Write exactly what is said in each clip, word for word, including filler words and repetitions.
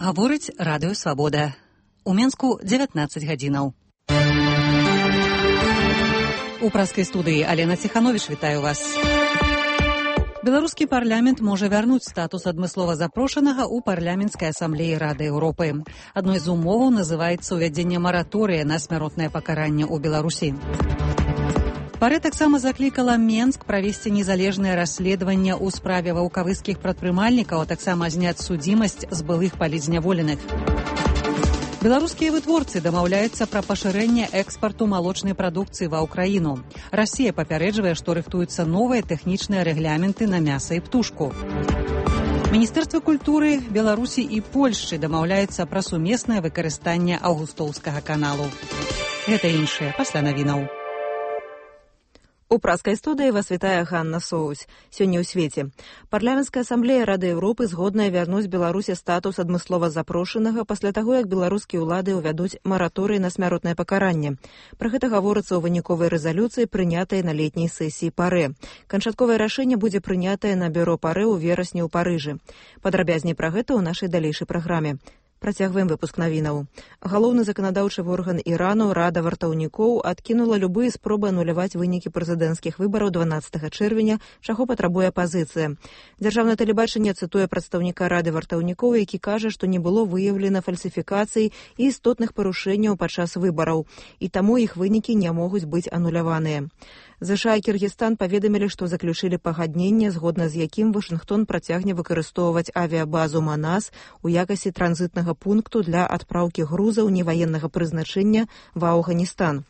Гаворыць радыё Свабода. У Менску дзевятнаццаць гадзінаў. У праскай студыі Алена Ціхановіч вітаю вас. Беларускі парламент можа вярнуць статус адмыслова запрошанага ў парламенцкай асамблеі Рады Еўропы. Адной з умоваў называецца ўвядзенне мараторыя на смяротнае пакаранне ў Беларусі. Парэ таксама заклікала Менск правесці незалежнае расследаванне ў справе ваўкавыскіх прадпрымальнікаў, а таксама зняць судзімасць з былых палізняволеных. Беларускія вытворцы дамаўляюцца пра пашырэнне экспарту малочнай прадукцыі ва ўкраіну. Расія папярэджвае, што рыхтуюцца новыя тэхнічныя рэгляменты на мяса і птушку. Міністэрства культуры Беларусі і Польшчы дамаўляецца пра сумеснае выкарыстанне аўгустоўскага каналу. Гэта іншае пасля навінаў. У праскай студыі вас вітае Ганна Соусь. Сёння ў свеце. Парламенцкая асамблея Рады Еўропы згодная вярнуць Беларусі статус адмыслова запрошанага пасля таго, як беларускія ўлады ўвядуць мараторый на смяротнае пакаранне. Пра гэта гаворыцца ў выніковай рэзалюцыі, прынятай на летняй сесіі Парэ. Канчатковае рашэнне будзе прынятае на бюро Парэ ў верасні ў Парыжы. Падрабязней пра гэта ў нашай далейшай праграме. Працягваем выпуск навінаў. Галоўны заканадаўчы орган Ірану Рада вартаўнікоў адкінула любыя спробы ануляваць вынікі прэзідэнцкіх выбараў дванаццатага чэрвеня, чаго патрабуе апазіцыя. Дзяржаўнае тэлебачанне цытуе прадстаўніка Рады вартаўнікоў, які кажа, што не было выяўлена фальсіфікацый і істотных парушэнняў падчас выбараў, і таму іх вынікі не могуць быць ануляваныя. ЗША і Кіргізстан паведамілі, што заключылі пагадненне, згодна з якім Вашынгтон працягне выкарыстоўваць авіябазу Манас у якасці транзітнага пункту для адпраўкі грузаў неваеннага прызначэння ва Афганістан.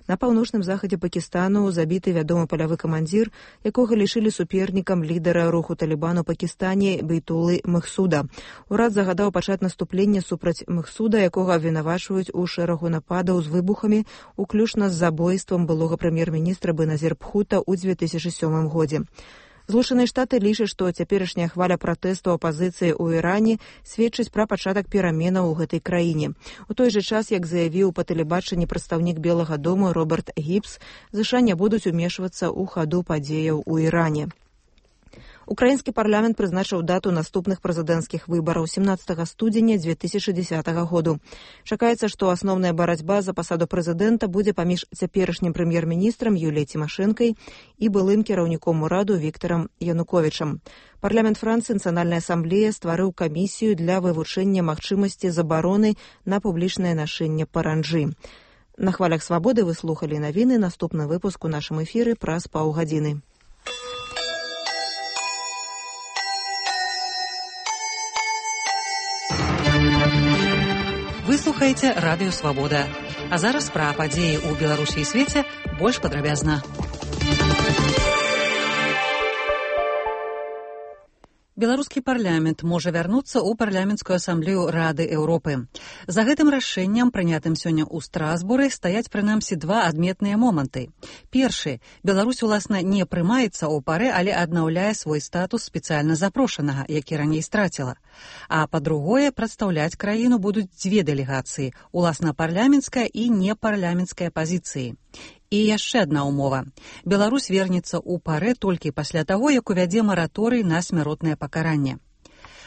На паўночным захадзе Пакістану забіты вядомы палявы камандзір, якога лічылі супернікам лідара руху Талібан у Пакістане Бейтулы Махсуда. Урад загадаў пачаць наступленне супраць Махсуда, якога абвінавачваюць у шэрагу нападаў з выбухамі, уключна з забойствам былога прэм'ер-міністра Беназір Бхута ў дзве тысячы сёмым годзе. Злучаныя Штаты лічаць, што цяперашняя хваля пратэсту апазіцыі ў Іране сведчыць пра пачатак пераменаў у гэтай краіне. У той жа час, як заявіў па тэлебачанні прадстаўнік Белага дому Роберт Гібс, ЗША не будуць умешвацца ў хаду падзеяў у Іране. Украінскі парламент прызначыў дату наступных прэзідэнцкіх выбараў семнаццатага студзеня дзве тысячы дзесятага году. Чакаецца, што асноўная барацьба за пасаду прэзідэнта будзе паміж цяперашнім прэм'ер-міністрам Юліяй Цімашэнкай і былым кіраўніком ураду Віктарам Януковічам. Парламент Францыі Нацыянальная асамблея стварыў камісію для вывучэння магчымасці забароны на публічнае нашэнне паранджы. На хвалях Свабоды вы слухалі навіны, наступны выпуск у нашым эфіры праз паўгадзіны. Вы слухаеце радыё Свабода. А зараз пра падзеі ў Беларусі і свеце больш падрабязна. Беларускі парламент можа вярнуцца ў парламенцкую асамблею Рады Еўропы. За гэтым рашэннем, прынятым сёння ў Страсбуры, стаяць прынамсі два адметныя моманты. Першы. Беларусь, уласна, не прымаецца ў Парэ, але аднаўляе свой статус спецыяльна запрошанага, які раней страціла. А па-другое, прадстаўляць краіну будуць дзве дэлегацыі, уласна парламенцкая і непарламенцкая пазіцыі. І яшчэ адна ўмова. Беларусь вернецца ў Парэ толькі пасля таго, як увядзе мараторый на смяротнае пакаранне.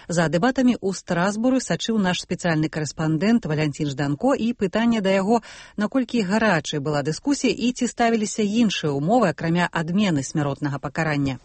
За дэбатамі ў Страсбуры сачыў наш спецыяльны карэспандэнт Валянцін Жданко, і пытанне да яго, наколькі гарачай была дыскусія і ці ставіліся іншыя ўмовы, акрамя адмены смяротнага пакарання.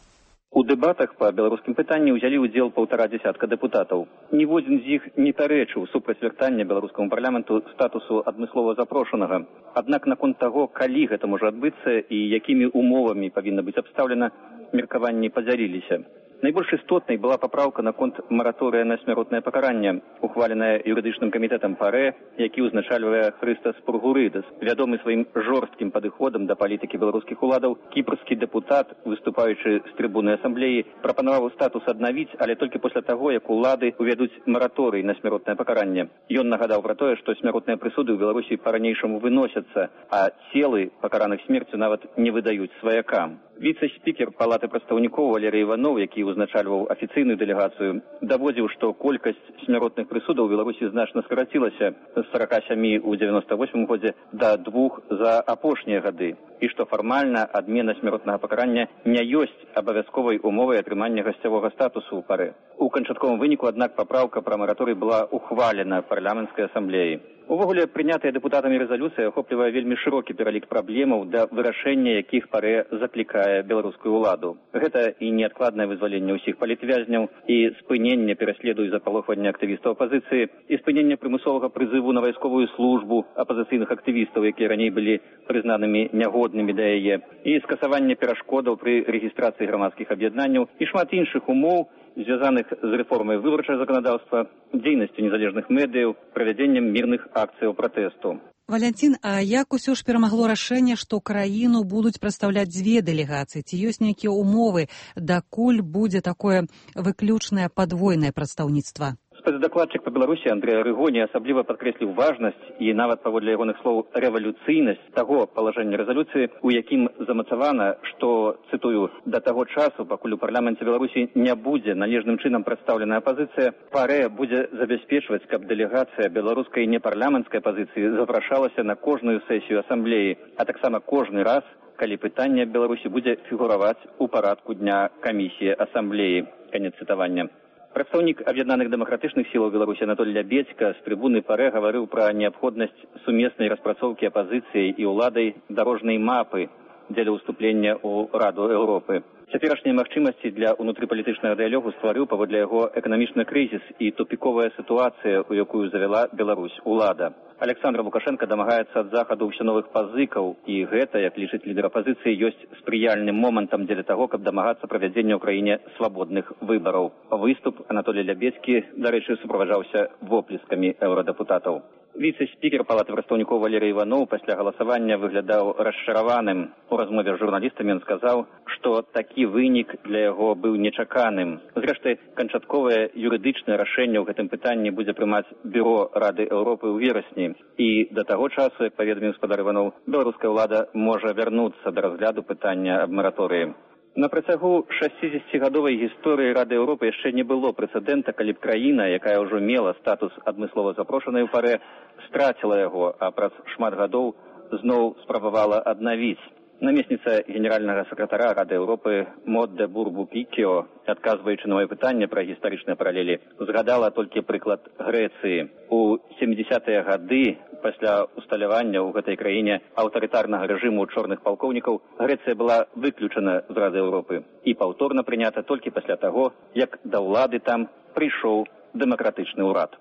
У дэбатах па беларускім пытанні ўзялі ўдзел паўтара дзясятка дэпутатаў. Ніводзін з іх не пярэчыў супраць вяртання беларускаму парламенту статусу адмыслова запрошанага. Аднак наконт таго, калі гэта можа адбыцца і якімі умовамі павінна быць абстаўлена, меркаванні падзяліліся. Найбольш істотнай была папраўка наконт мараторыя на смяротнае пакаранне, ухваленая юрыдычным камітэтам Парэ, які ўзначальвае Хрыстас Пургурыдас. Вядомы сваім жорсткім падыходам да палітыкі беларускіх уладаў, кіпрскі дэпутат, выступаючы з трыбуны асамблеі, прапанаваў статус аднавіць, але толькі пасля таго, як улады увядуць мараторый на смяротнае пакаранне. Ён нагадаў пра тое, што смяротныя прысуды ў Беларусі па-ранейшаму выносяцца, а целы пакараных смерцю нават не выдаюць сваякам. Віцэ-спікер палаты прадстаўнікоў Валерый Іванов, які ўзначальваў афіцыйную дэлегацыю, даводзіў, што колькасць смяротных прысудаў у Беларусі значна скарацілася з сорока сямі ў девяносто восьмым годзе да двух за апошнія гады, і што фармальна адмена смяротнага пакарання не ёсць абавязковай умовай атрымання гасцявога статусу ў парэ. У канчатковым выніку, аднак, папраўка пра мараторый была ухвалена парламенцкай асамблеяй. Увогуле, прынятая дэпутатамі рэзалюцыя ахоплівае вельмі шырокі пералік праблемаў, да вырашэння якіх парэ заклікае беларускую ўладу. Гэта і неадкладнае вызваленне ўсіх палітвязняў, і спыненне пераследу і запалохвання актывістаў апазіцыі, і спыненне прымусовага прызыву на вайсковую службу апазіцыйных актывістаў, якія раней былі прызнанымі нягоднымі да яе, і скасаванне перашкодаў пры рэгістрацыі грамадскіх аб'яднанняў і шмат іншых умоў, звязаных з рэформай выбарчага заканадаўства, дзейнасцю незалежных медыяў, правядзеннем мірных акцыяў пратэсту. Валянцін, а як усё ж перамагло рашэнне, што краіну будуць прадстаўляць дзве дэлегацыі? Ці ёсць нейкія умовы, дакуль будзе такое выключнае падвойнае прадстаўніцтва? Спецдакладчык па Беларусі Андрэй Арыгоні асабліва падкрэсліў важнасць і нават паводле ягоных слоў рэвалюцыйнасць таго палажэння рэзалюцыі, у якім замацавана, што, цытую, да таго часу, пакуль у парламенце Беларусі не будзе належным чынам прадстаўленая апазіцыя, парэ будзе забяспечваць, каб дэлегацыя беларускай непарламенцкай апазіцыі запрашалася на кожную сесію асамблеі, а таксама кожны раз, калі пытанне Беларусі будзе фігураваць у парадку дня камісіі асамблеі. Канец цытавання. Прадстаўнік аб'яднаных дэмакратычных сілаў Беларусі Анатолій Лябедзька з трыбуны парэ гаварыў пра неабходнасць сумеснай распрацоўкі апазіцыяй і ўладай дарожнай мапы дзеля ўступлення ў Раду Еўропы. Цяперашнія магчымасці для ўнутрыпалітычнага дыялогу стварыў паводле яго эканамічны крызіс і тупіковая сітуацыя, у якую завяла Беларусь улада. Александр Лукашенко дамагаецца ад захаду ўсё новых пазыкаў, і гэта, як лічыць лідар апазіцыі, ёсць спрыяльным момантам дзеля таго, каб дамагацца правядзення ў краіне свабодных выбараў. Выступ Анатолій Лябедзькі, дарэчы, суправаджаўся воплескамі еўрадэпутатаў. Віцэ-спікер палаты прадстаўнікоў Валерый Іванов пасля галасавання выглядаў расчараваным. У размове з журналістамі ён сказаў, што такі вынік для яго быў нечаканым. Зрэшты, канчатковае юрыдычнае рашэнне ў гэтым пытанні будзе прымаць Бюро Рады Еўропы ў верасні. І да таго часу, як паведаміў гаспадар Іванов, беларуская ўлада можа вярнуцца да разгляду пытання аб мараторыі. На працягу шасцідзесяцігадовай гісторыі Рады Еўропы яшчэ не было прэцэдэнта, калі б краіна, якая ўжо мела статус адмыслова запрошанай у парэ, страціла яго, а праз шмат гадоў зноў спрабавала аднавіць. Намесніца генеральнага сакратара Рады Еўропы Мод де Бурбу-Пікіо, адказваючы на маё пытанне пра гістарычныя паралелі, згадала толькі прыклад Грэцыі. У сямідзесятыя гады, пасля усталявання ў гэтай краіне аўтарытарнага рэжыму чорных палкоўнікаў, Грэцыя была выключана з Рады Еўропы і паўторна прынята толькі пасля таго, як да ўлады там прыйшоў дэмакратычны ўрад.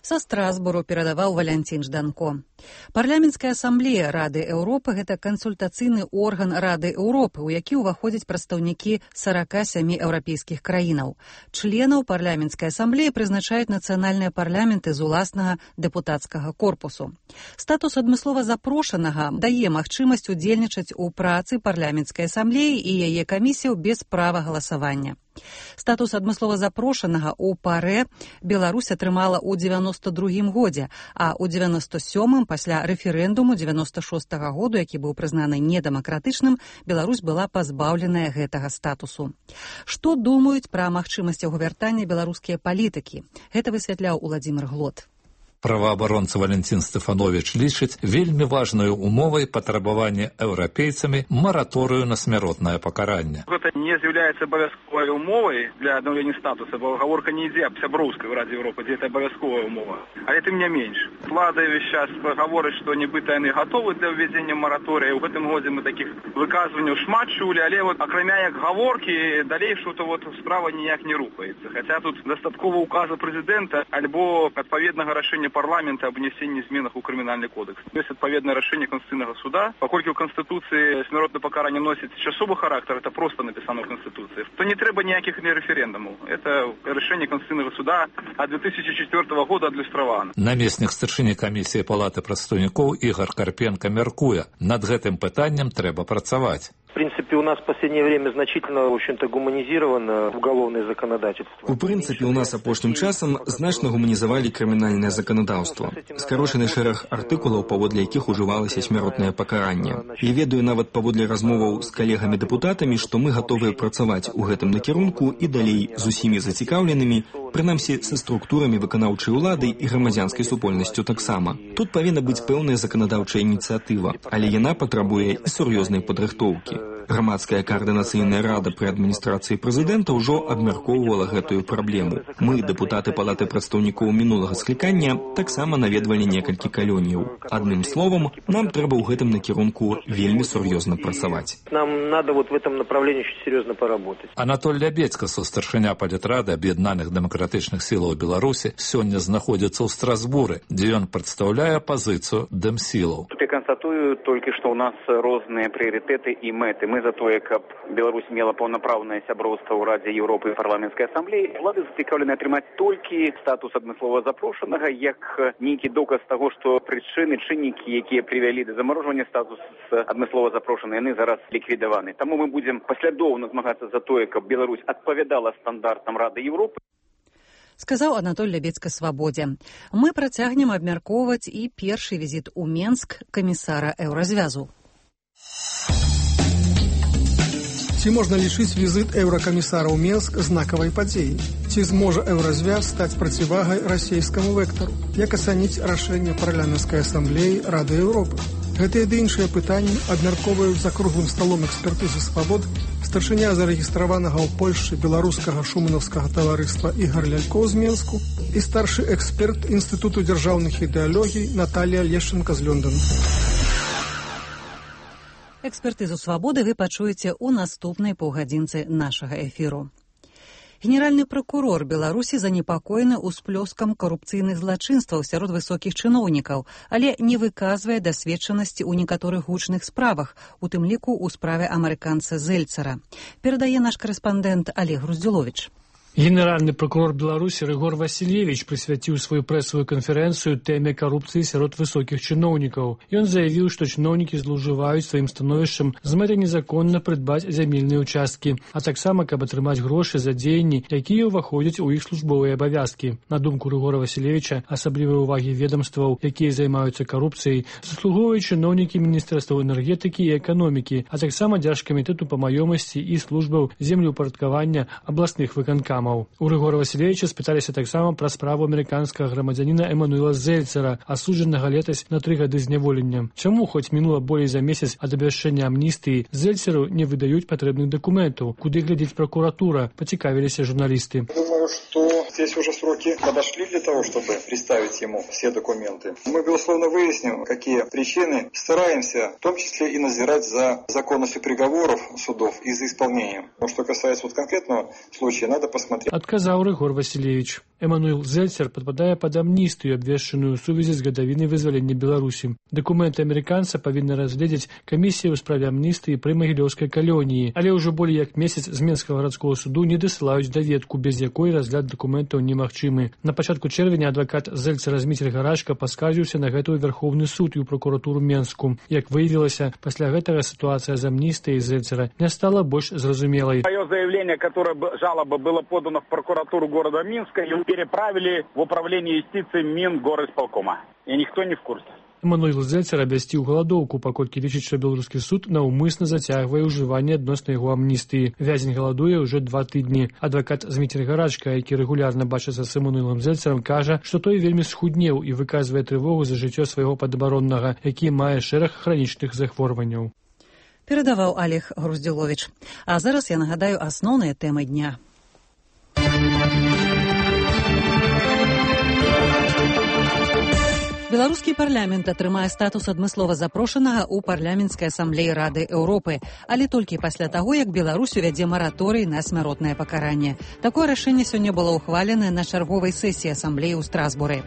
Са Страсбуру перадаваў Валянцін Жданко. Парламенцкая асамблея Рады Еўропы – гэта кансультацыйны орган Рады Еўропы, у які ўваходзяць прадстаўнікі сорока сямі еўрапейскіх краінаў. Членаў парламенцкай асамблеі прызначаюць нацыянальныя парламенты з уласнага дэпутацкага корпусу. Статус адмыслова запрошанага дае магчымасць удзельнічаць у працы парламенцкай асамблеі і яе камісіяў без права галасавання. Статус адмыслова запрошанага ў парэ Беларусь атрымала ў девяносто другім годзе, а ў девяносто сёмым пасля рэферэндуму девяносто шостага году, які быў прызнаны недэмакратычным, Беларусь была пазбаўленая гэтага статусу. Што думаюць пра магчымасць яго вяртання беларускія палітыкі? Гэта высвятляў Уладзімір Глот. Праваабаронца Валянцін Стэфановіч лічыць вельмі важнаю умовай патрабавання еўрапейцамі мараторыю на смяротнае пакаранне. Гэта не з'яўляецца абавязковай умовай для аднаўлення статуса, бо гаворка не ідзе аб сяброўскай у Радзе Еўропы, дзе гэта абавязковая умова. Але тым не менш. Влада ўвесь час гаворыць, што нібыта яны гатовы для ўвядзення мараторыя. У гэтым годзе мы такіх выказванняў шмат чулі, але вот акрамя як гаворкі, далейшую то вот справа ніяк не рухаецца. Хаця тут дастаткова указа прэзідэнта альбо адпаведнага рашэння парламента об внесении зменах у крымінальны кодекс. Есть отповедное решение Конституционного суда. Поскольку в Конституции смертное покарание носит часовый характер, это просто написано в Конституции, то не треба никаких референдумов. Это решение Конституционного суда от две тысячи четвёртого года адлюстравано. Намеснік старшыні камісіі палаты прадстаўнікоў Ігор Карпенка мяркуе, над гэтым пытаннем трэба працаваць. В принципе, принципе, у нас в последнее время значительно, в общем-то, гуманизировано уголовное законодательство. У прынцыпе, у нас апошнім часам значна гуманізавалі крымінальнае заканадаўства. Скарочаны шэраг артыкулаў, паводле якіх ужывалася смяротнае пакаранне. Я ведаю нават паводле размоваў з калегамі-дэпутатамі, што мы гатовыя працаваць у гэтым накірунку і далей з усімі зацікаўленымі, прынамсі са структурамі выканаўчай улады і грамадзянскай супольнасцю таксама. Тут павінна быць пэўная заканадаўчая ініцыятыва, але яна патрабуе і сур'ёзнай падрыхтоўкі. Грамадская каардынацыйная рада пры адміністрацыі прэзідэнта ўжо абмяркоўвала гэтую праблему. Мы, дэпутаты палаты прадстаўнікоў минулага склікання, таксама наведвалі некалькі калоніяў. Адным словам, нам трэба ў гэтым накірунку вельмі сур'ёзна працаваць. Нам надо вот в этом направлении очень серьезно поработать. Анатоль Лябедзька, старшыня палітрады Аб'яднаных дэмакратычных сілаў Беларусі, сёння знаходзіцца ў Страсбуры, дзе ён прадстаўляе пазіцыю дэмсілаў. Тут я констатую толькі, што ў нас розныя прыярытэты і мэты. Мы за тое, каб Беларусь мела паўнапраўнае сяброўства ў Радзе Еўропы і парламенцкай асамблеі. Улады зацікаўлены атрымаць толькі статус адмыслова запрошанага, як нейкі доказ таго, што прычыны, чыннікі, якія прывялі да замарожвання статусу адмыслова запрошанага, яны зараз ліквідаваны. Таму мы будзем паслядоўна змагацца за тое, каб Беларусь адпавядала стандартам Рады Еўропы. Сказаў Анатоль Лябедзька Свабодзе. Мы працягнем абмяркоўваць і першы візіт у Менск камісара Еўразвязу. Ці можна лічыць візит еўракамісара ў Менск знакавай падзеяй? Ці зможа еўразвяз стаць процівагай расійскаму вектару? Як ацаніць рашэнне парламенцкай асамблеі Рады Еўропы? Гэтыя ды іншыя пытанні абмяркоўваюць за круглым сталом экспертызы свабод старшыня зарэгістраванага ў Польшчы беларускага шуманаўскага таварыства Ігар Лялькоў з Менску і старшы эксперт Інстытуту дзяржаўных ідэалогій Наталія Лешченка з Лондона. Экспертызу свабоды вы пачуеце ў наступнай паўгадзінцы нашага эфіру. Генеральны пракурор Беларусі занепакоены ўсплёскам карупцыйных злачынстваў сярод высокіх чыноўнікаў, але не выказвае дасведчанасці ў некаторых гучных справах, у тым ліку ў справе амерыканца Зельцера. Перадае наш карэспандэнт Олег Груздзіловіч. Генеральны прокурор Беларусі Рыгор Васильевич прысвяціў сваю прэсавую канферэнцыю тэме карупцыі сярод высокіх чыноўнікаў. Ён заявіў, што чыноўнікі злоўжываюць сваім становішчам з мэтай незаконна прыдбаць зямельныя ўчасткі, а таксама, каб атрымаць грошы за дзеянні, якія ўваходзяць у іх службовыя абавязкі. На думку Рыгора Васильевича, асаблівай увагі ведомстваў, якія займаюцца карупцыяй, заслугоўваюць чыноўнікі міністэрстваў энергетыкі і эканомікі, а таксама дзяржкамітэту па маёмасці і службаў землеўпарадкавання абласных выканкамаў. У Рыгора Васильевича спыталіся таксама пра справу амерыканскага грамадзяніна Эмануэла Зельцера, асуджанага летась на тры гады зняволення. Чаму, хоць мінула болей за месяц ад абвяшчэння амністыі, Зельцеру не выдаюць патрэбных дакументаў? Куды глядзіць прокуратура? Пацікавіліся журналісты. Думаю, что здесь уже сроки подошли для того, чтобы представить ему все документы. Мы, безусловно, выясним, какие причины. Стараемся, в том числе и надзирать за законностью приговоров судов и за исполнением. Но что касается вот конкретного случая, надо посмотреть. Адказаў Рыгор Васильевич. Эмануэл Зельцер падпадае пад амністыю, абвешчаную ў сувязі з гадавінай вызвалення Беларусі. Дакументы амерыканца павінны разгледзець камісія ў справе амністыі пры магілёўскай калоніі, але ўжо болей як месяц з Менскага гарадскога суду не дасылаюць даведку, без якой разгляд дакументаў немагчымы. На пачатку чэрвеня адвакат Зельцера Зміцер Гарашка паскардзіўся на гэтую Верховны суд і ў прокуратуру Менску. Як выявілася, пасля гэтага сітуацыя з амністыяй Зельцера не стала больш зразумелай. Мое заявление, которое жалоба было подано в прокуратуру города Минска, и переправили в управление юстиции Мингорисполкома. И никто не в курсе. Эмануэл Зельцер абвясціў галадоўку, паколькі лічыць, што беларускі суд наўмысна зацягвае ўжыванне адносна яго амністыі. Вязень галадуе ўжо два тыдні. Адвакат Зміцер Гарашка, які рэгулярна бачыцца з Эмануэлам Зельцерам, кажа, што той вельмі схуднеў і выказвае трывогу за жыццё свайго падабароннага, які мае шэраг хранічных захворванняў. Перадаваў Олег Груздзіловіч. А зараз я нагадаю асноўныя тэмы дня. Беларускі парламент атрымае статус адмыслова запрошанага ў парламенцкай асамблеі Рады Еўропы, але толькі пасля таго, як Беларусь увядзе мараторый на смяротнае пакаранне. Такое рашэнне сёння было ўхваленае на чарговай сесіі асамблеі ў Страсбуры.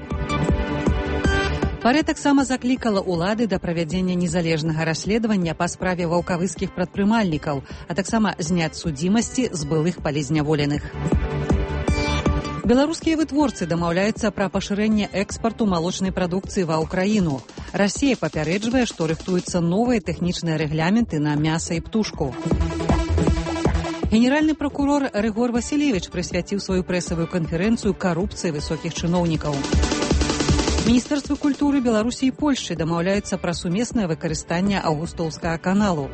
Парэ таксама заклікала ўлады да правядзення незалежнага расследавання па справе ваўкавыскіх прадпрымальнікаў, а таксама зняць судзімасці з былых палізняволеных. Беларускія вытворцы дамаўляюцца пра пашырэнне экспарту малочнай прадукцыі ва ўкраіну. Расія папярэджвае, што рыхтуюцца новыя тэхнічныя рэгляменты на мяса і птушку. Генеральны прокурор Рыгор Васілевіч прысвяціў сваю прэсавую канферэнцыю карупцыі высокіх чыноўнікаў. Міністэрствы культуры Беларусі і Польшчы дамаўляюцца пра сумеснае выкарыстанне аўгустоўскага каналу.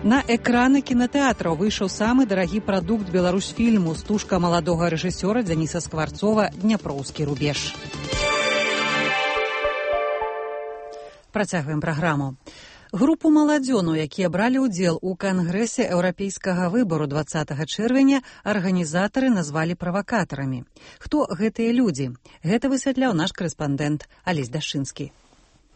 На экраны кінатэатраў выйшаў самы дарагі прадукт беларусфільму стужка маладога рэжысёра Дзяніса Скварцова «Дняпроўскі рубеж». Працягваем праграму. Групу маладзёну, якія бралі ўдзел у кангрэсе еўрапейскага выбару дваццатага чэрвеня, арганізатары назвалі правакатарамі. Хто гэтыя людзі? Гэта высвятляў наш корэспандэнт Алесь Дашчынскі.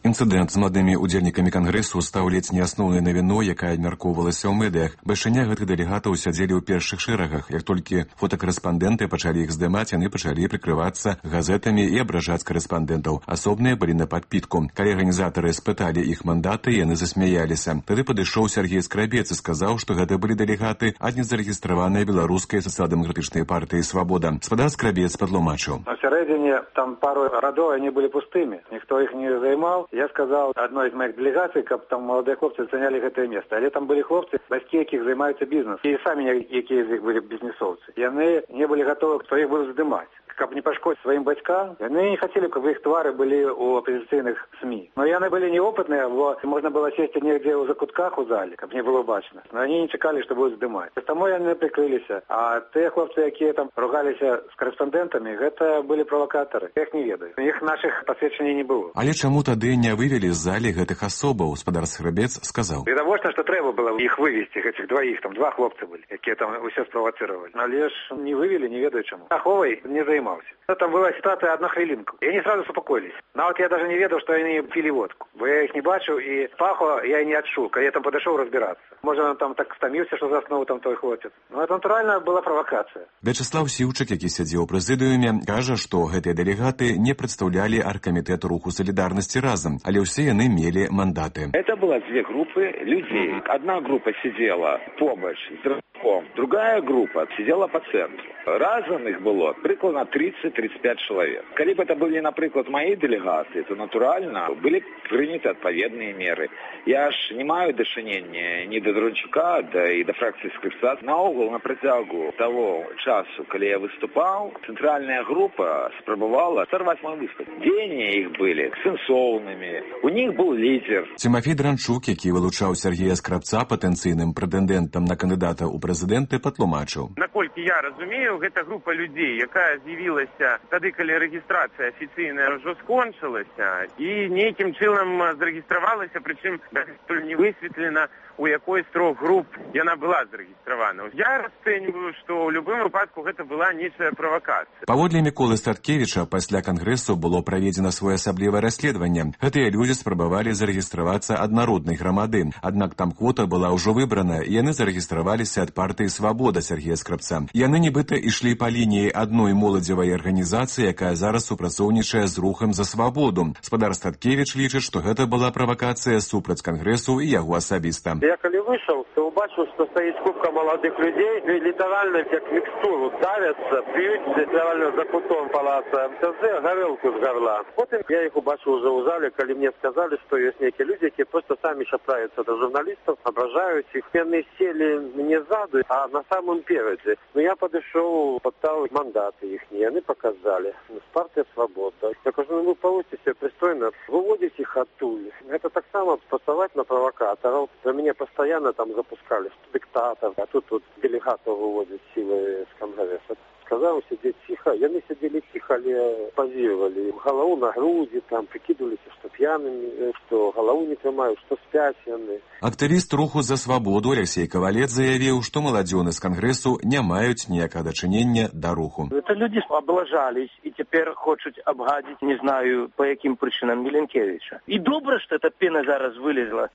Інцыдэнт з маладымі удзельнікамі кангрэсу стаў ледзь не асноўнай навіной, якая абмяркоўвалася ў медыях. Бальшыня гэтых дэлегатаў сядзелі ў першых шэрагах. Як толькі фотакарэспандэнты пачалі іх здымаць, яны пачалі прыкрывацца газетамі і абражаць карэспандэнтаў. Асобныя былі на падпітку. Калі арганізатары спыталі іх мандаты, яны засмяяліся. Тады падышоў Сергей Скрабец і сказаў, што гэта былі дэлегаты ад незарэгістраванай беларускай сацыял-дэмакратычнай партыі «Свабода». Спадар Скрабец падтлумачыў. На сярэдзіне там пару радоў, они былі пустымі. Ніхто іх не займаў. Я сказал одной из моих делегаций, каб там молодые хлопцы заняли гэтае место. Але там были хлопцы, бацькі якіх займаюцца бізнесом. І самі якія з іх былі бізнесоўцы. Яны не были готовы, кто их будет здымаць. Каб не пашкодзіць сваім бацькам, яны не хотели, каб іх твары былі у апозіцыйных СМИ. Но яны былі неопытныя, бо можна было сесці негдзе ў закутках у зале, каб не было бачна. Но они не чакалі, што будуць здымаць. Таму яны прыкрыліся. А тыя хлопцы, якія там ругаліся з корэспандэнтамі, гэта былі правакатары. Я іх не ведаю. Іх нашых пасведчанняў не было. Але чаму тады не вывели з залі гэтых асобаў? Спадар Скрабец сказаў. Відавочна, што трэба было іх вывесці, гэтых дваіх, там два хлопцы былі, якія там усё справацыравалі. Але ж не вывели, не ведаю чаму. Аховай не займаўся. Ну, там была ситуация одна хвилинку. И они сразу успокоились. Но вот я даже не ведал, что они пили водку. Бо я их не бачил, и пахло я и не отшул. Когда я там подошел разбираться. Может, он там так стомился, что заснул там той хлопец. Но это натурально была провокация. Вячеслав Сіўчык, які сядзеў у прэзідыуме, кажа, што гэтыя дэлегаты не прадстаўлялі аргкамітэт руху солідарнасці разам, але ўсе яны мелі мандаты. Это было две группы людей. Одна группа сидела побач з Рыгором, другая группа сидела по центру. Разом их было прикладно тридцать-тридцать пять человек. Коли бы это были, например, мои делегации, то натурально были приняты отповедные меры. Я ж не маю дошенения ни до Дрончука, да и до фракции Скрипца. Наогул, на протягу того часу, когда я выступал, центральная группа спробовала сорвать мой выступ. Дени их были сенсовными. У них был лидер. Тимофей Дранчук, який вилучав Сергія Скрабца потенційним претендентом на кандидата у президенти, патлумачив. Наколькі я розумію, гэта група людей, яка з'явілася тады, калі рэгістрацыя афіцыйная ўжо скончылася і нейкім чынам зарэгістравалася, прычым дагэтуль не высветлена, у якой з трох груп яна была зарэгістравана. Я расцэньваю, што ў любым выпадку гэта была нечая правакацыя. Паводле Міколы Статкевіча, пасля кангрэсу было праведзена своеасаблівае расследаванне. Гэтыя людзі спрабавалі зарэгістравацца ад народнай грамады. Аднак там квота была ўжо выбрана, і яны зарэгістраваліся ад партыі «Свабода» Сергія Скрабца. Яны нібыта ішлі па лініі адной моладзевай арганізацыі, якая зараз супрацоўнічае з рухам за свабоду. Спадар Статкевіч лічыць, што гэта была правакацыя супраць кангрэсу і яго асабіста. Я калі выйшаў, то убачыў, што стаіць купка маладых людзей, і літаральна як мікстуру давяцца, п'юць літаральна за кутом палаца МТЗ гарэлку з гарла. Потым я іх убачыў уже ў зале, калі мне сказалі, што ёсць нейкія людзі, якія проста самі шапраюцца да журналістаў, абражаюць іх. Яны селі не ззаду, а на самым перадзе. Ну я падышоў, пытаў мандаты іхнія, яны паказалі. З партыя «Свабода». Я кажу, ну вы паводзьце себе прыстойна, выводзіць іх адтуль. Гэта таксама спрацаваць на правакатараў. За мяне постоянно там запускали диктатов, а тут вот делегатов выводят силы с Конгресса. Сказал сидеть тихо, яны сидели тихо, але позировали. Голову на груди, там прикидывались, что пьяными, что голову не тримают, что спят яны. Актывіст руху за свабоду Алексей Ковалец заявіў, што маладзёны з Кангрэсу не маюць ніякага дачынення да руху. Это люди облажались и теперь хочут обгадить, не знаю, по яким причинам, Миленкевича. И добро, что эта пена зараз вылезла.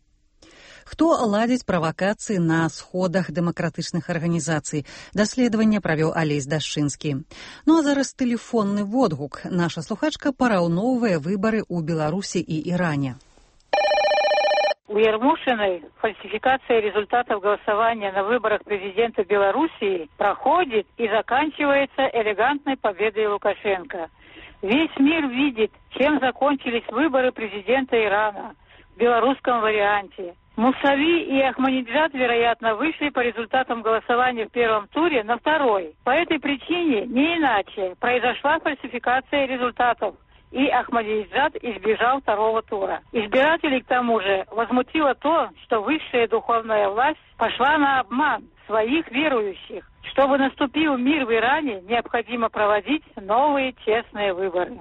Хто ладзіць правакацыі на сходах дэмакратычных арганізацый? Даследаванне правёў Алесь Дашчынскі. Ну а зараз тэлефонны водгук. Наша слухачка параўноўвае выбары ў Беларусі і Іране. У Ермушиной фальсификация результатов голосования на выборах президента Белоруссии проходит и заканчивается элегантной победой Лукашенко. Весь мир видит, чем закончились выборы президента Ирана в белорусском варианте. Мусави и Ахмадинеджад, вероятно, вышли по результатам голосования в первом туре на второй. По этой причине, не иначе, произошла фальсификация результатов, и Ахмадинеджад избежал второго тура. Избирателей, к тому же, возмутило то, что высшая духовная власть пошла на обман своих верующих. Чтобы наступил мир в Иране, необходимо проводить новые честные выборы.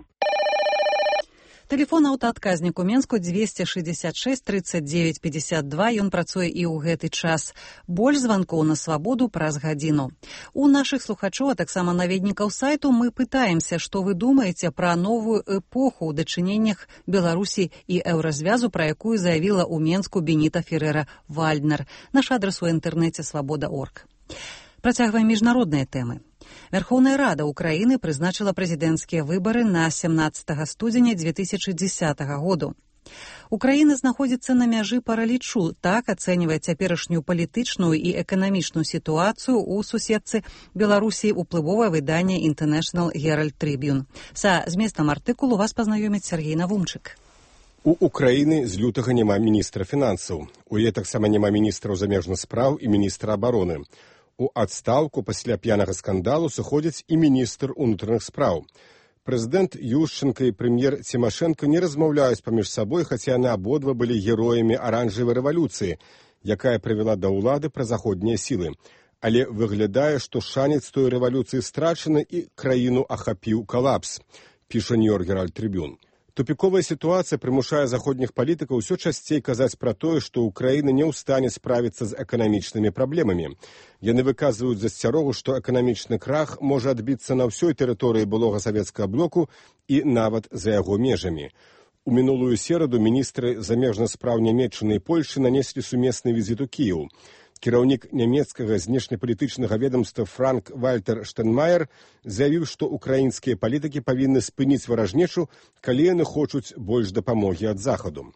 Тэлефон аўтаадказнік у Менску двести шестьдесят шесть тридцать девять пятьдесят два. Ён працуе і ў гэты час. Больш званкоў на свабоду праз гадзіну. У нашых слухачоў, а таксама наведнікаў сайту, мы пытаемся, што вы думаеце пра новую эпоху ў дачыненнях Беларусі і еўразвязу, пра якую заявіла ў Менску Беніта Ферера-Вальднер. Наш адрас у інтэрнэце свабода точка орг. Працягваем міжнародныя тэмы. Верховная Рада Украины прызначила прэзідэнцкія выборы на семнадцатого студзеня две тысячи десятого году. Украина знаходзіцца на мяжы паралічу, так ацэньвае цяперашнюю палітычную і эканамічную сітуацыю ў суседцы Беларусі уплывовае выданне International Herald Tribune. Са зместам артыкулу вас пазнаёміць Сергей Навумчык. У Украины з лютага няма міністра фінансаў. У яе таксама няма міністраў замежных спраў і міністра абароны. У адстаўку пасля п'янага скандалу сыходзяць і міністр унутраных спраў. Прэзідэнт Ющенко і прэм'ер Цімашэнка не размаўляюць паміж сабой, хаця яны абодва былі героямі аранжавай рэвалюцыі, якая прывяла да ўлады празаходнія сілы. Але выглядае, што шанец той рэвалюцыі страчаны і краіну ахапіў калапс, піша Нью-Йорк Herald Tribune. Тупіковая сітуацыя прымушае заходніх палітыкаў усё часцей казаць пра тое, што Украіна не ў стане справіцца з эканамічнымі праблемамі. Яны выказваюць засцярогу, што эканамічны крах можа адбіцца на ўсёй тэрыторыі былога савецкага блоку і нават за яго межамі. У мінулую сераду міністры замежных спраў Нямецчыны і Польшы нанеслі сумесны візіт у Кіеў. Кіраўнік нямецкага знешнепалітычнага ведомства Франк Вальтер Штэнмаер заявіў, што украінскія палітыкі павінны спыніць варажнечу, калі яны хочуць больш дапамогі ад захаду.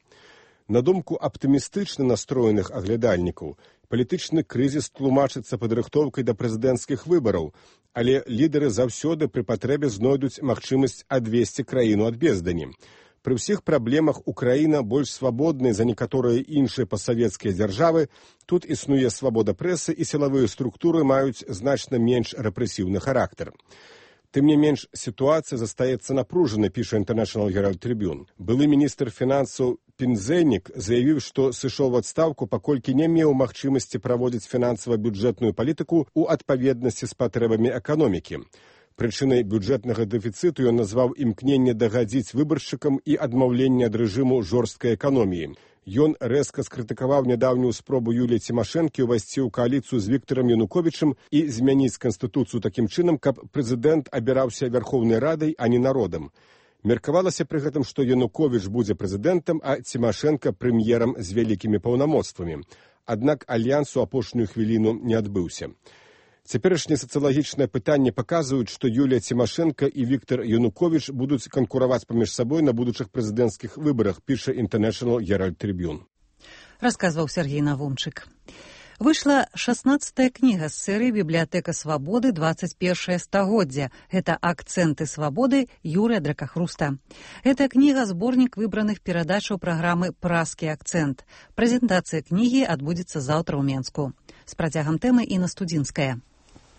На думку аптымістычна настроеных аглядальнікаў, палітычны крызіс тлумачыцца падрыхтоўкай да прэзідэнцкіх выбараў, але лідары заўсёды пры патрэбе знойдуць магчымасць адвесці краіну ад бездані. Пры ўсіх праблемах Украіна больш свабодная за некаторыя іншыя пасавецкія дзяржавы, тут існуе свабода прэсы і сілавыя структуры маюць значна менш рэпрэсіўны характар. Тым не менш, сітуацыя застаецца напружанай, піша International Herald Tribune. Былы міністр фінансаў Пінзэнік заявіў, што сышоў у адстаўку, паколькі не меў магчымасці праводзіць фінансава-бюджэтную палітыку ў адпаведнасці з патрэбамі эканомікі. Прычынай бюджэтнага дэфіцыту ён назваў імкненне дагадзіць выбаршчыкам і адмаўленне ад рэжыму жорсткай эканоміі. Ён рэзка скрытыкаваў нядаўнюю спробу Юліі Цімашэнкі ўвайсці ў кааліцыю з Віктарам Януковічам і змяніць канстытуцыю такім чынам, каб прэзідэнт абіраўся Верхоўнай Радай, а не народам. Меркавалася пры гэтым, што Януковіч будзе прэзідэнтам, а Цімашэнка прэм'ерам з вялікімі паўнамоцтвамі. Аднак альянс у апошнюю хвіліну не адбыўся. Цяперашнія сацыялагічныя пытанні паказваюць, што Юлія Цімашэнка і Віктар Януковіч будуць канкураваць паміж сабой на будучых прэзідэнцкіх выбарах, піша International Herald Tribune. Расказваў Сергей Навумчык. Выйшла шаснаццатая кніга з серыі «Бібліятэка свабоды двадцать першае стагоддзя». Гэта «Акцэнты свабоды» Юрыя Дракахруста. Гэта кніга зборнік выбраных перадачаў праграмы «Празкі акцэнт». Прэзентацыя кнігі адбудзецца заўтра ў Менску. З працягам тэмы Інна Студзінская.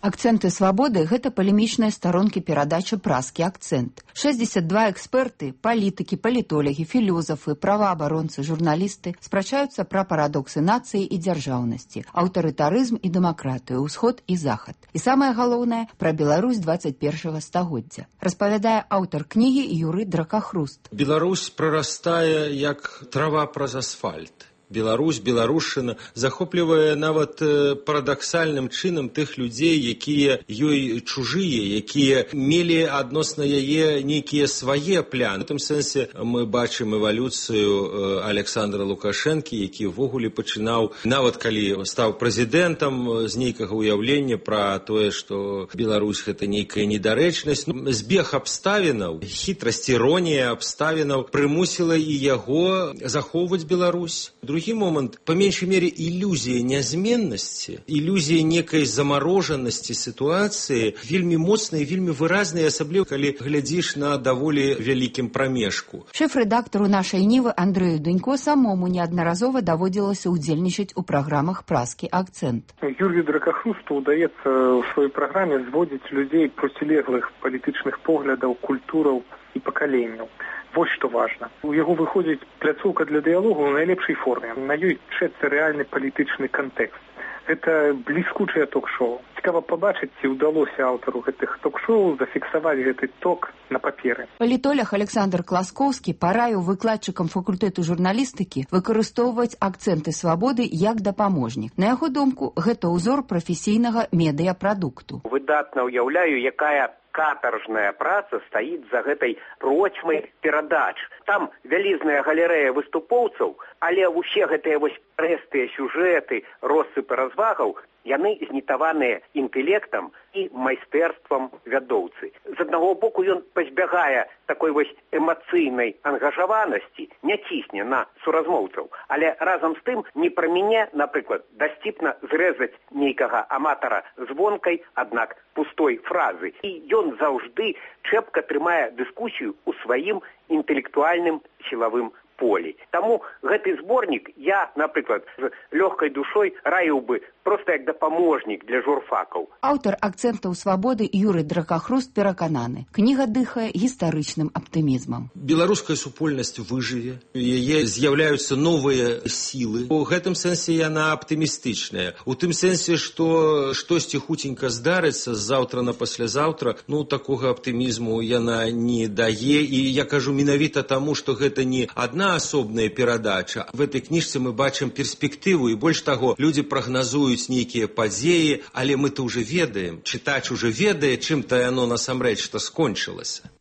Акцэнты свабоды – гэта палемічныя старонкі перадачы «Празкі акцэнт». шэсцьдзесят два эксперты, палітыкі, палітолагі, філёзафы, праваабаронцы, журналісты спрачаюцца пра парадоксы нацыі і дзяржаўнасці, аўтарытарызм і дэмакратыю, ўсход і захад. І самае галоўнае – пра Беларусь двадцать першага стагоддзя. Распавядае аўтар кнігі Юрый Дракахруст. Беларусь прарастае як трава праз асфальт. Беларусь, беларушчына захоплівае нават парадаксальным чынам тых людзей, якія ёй чужыя, якія мелі адносна яе нейкія свае пляны. У тым сэнсе мы бачым эвалюцыю Александра Лукашэнкі, які ўвогуле пачынаў, нават калі стаў прэзідэнтам, з нейкага ўяўлення пра тое, што Беларусь гэта нейкая недарэчнасць. Ну, збег абставінаў, хітрасць, іронія абставінаў прымусіла і яго захоўваць Беларусь. Другі другі момант, по меншай мере, ілюзія нязменнасці, ілюзія некай замарожанасці сітуацыі вельмі моцная і вельмі выразная, асабліва калі глядзіш на даволі вялікім прамежку. Шэф-рэдактару нашай Нівы Андрэю Дунько самому неаднаразова даводзілася ўдзельнічаць у праграмах «Празкі акцэнт». Юрию Дракахрусту удаецца ў сваёй праграме зводзіць людзей процілеглых палітычных поглядаў, культураў і пакаленняў. Вот што важна. У яго выходзіць пляцоўка для дыялогу ў найлепшай форме. На ёй чэцца рэальны палітычны кантэкст. Гэта бліскучае ток-шоу. Цікава пабачыць, ці ўдалося аўтару гэтых ток-шоу зафіксаваць гэты ток на паперы. Палітолог Александр Класкоўскі параіў выкладчыкам факультэту журналістыкі выкарыстоўваць акцэнты свабоды як дапаможнік. На яго думку, гэта ўзор прафесійнага медыяпрадукту. Выдатна ўяўляю, якая катаржная праца стаіць за гэтай процьмай перадач. Там вялізная галерэя выступоўцаў, але ўсе гэтыя вось прэстыя сюжэты, россыпы развагаў, яны знітаваныя інтэлектам і майстэрствам вядоўцы. З аднаго боку ён пазбягае такой вось эмацыйнай ангажаванасці, не цісне на суразмоўцаў, але разам з тым не праміне, напрыклад, дасціпна зрэзаць нейкага аматара звонкай, аднак пустой фразы. І ён заўжды чэпка трымае дыскусію ў сваім інтэлектуальным сілавым полі. Таму гэты зборнік я, напрыклад, з лёгкай душой раіў бы проста як дапаможнік для журфакаў. Аўтар акцэнтаў свабоды Юрый Дракахруст перакананы. Кніга дыхае гістарычным аптымізмам. Беларуская супольнасць выжыве, у яе з'яўляюцца новыя сілы. У гэтым сэнсе яна аптымістычная. У тым сэнсе, што штосьці хуценька здарыцца заўтра на паслязаўтра, ну, такога аптымізму яна не дае. І я кажу менавіта таму, што гэта не адна асобная перадача. В этой кніжцы мы бачым перспектыву, і больш таго, людзі прагназуюць нейкія падзеі, але мы-то ўжо ведаем, чытач ужо ведае, чым-то яно насамрэч што скончылася.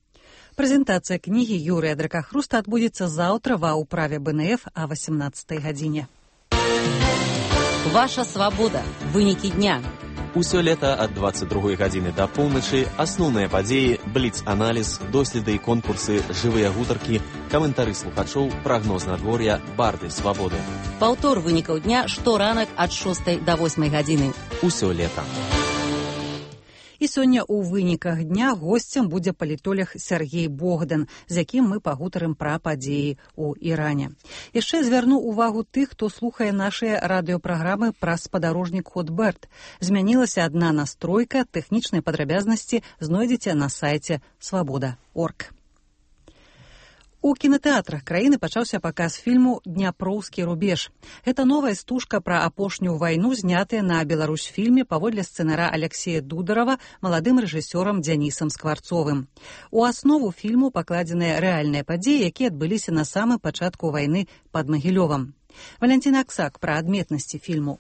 Прэзентацыя кнігі Юрыя Дракахруста адбудзецца заўтра ва ўправе бэ эн эф а васямнаццатай гадзіне. Ваша свабода. Вынікі дня. Усё лета ад дваццаць другой гадзіны да поўначы асноўныя падзеі, бліц-аналіз, доследы і конкурсы, жывыя гутаркі, каментары слухачоў, прагноз надвор'я, барды свабоды. Паўтор вынікаў дня шторанак ад шостай да восьмай гадзіны. Усё лета. І сёння ў выніках дня госцем будзе палітолог Сергей Богдан, з якім мы пагутарым пра падзеі ў Іране. Яшчэ звярну ўвагу тых, хто слухае нашыя радыёпраграмы пра спадарожнік Хотберт. Змянілася адна настройка, тэхнічныя падрабязнасці знойдзеце на сайце свабода крапка орг. У кінатэатрах краіны пачаўся паказ фільму «Дняпроўскі рубеж». Гэта новая стужка пра апошнюю вайну, знятая на Беларусьфільме паводле сцэнара Аляксея Дударава маладым рэжысёрам Дзянісам Скварцовым. У аснову фільму пакладзеныя рэальныя падзеі, якія адбыліся на самым пачатку вайны пад Магілёвам. Валянціна Аксак пра адметнасці фільму.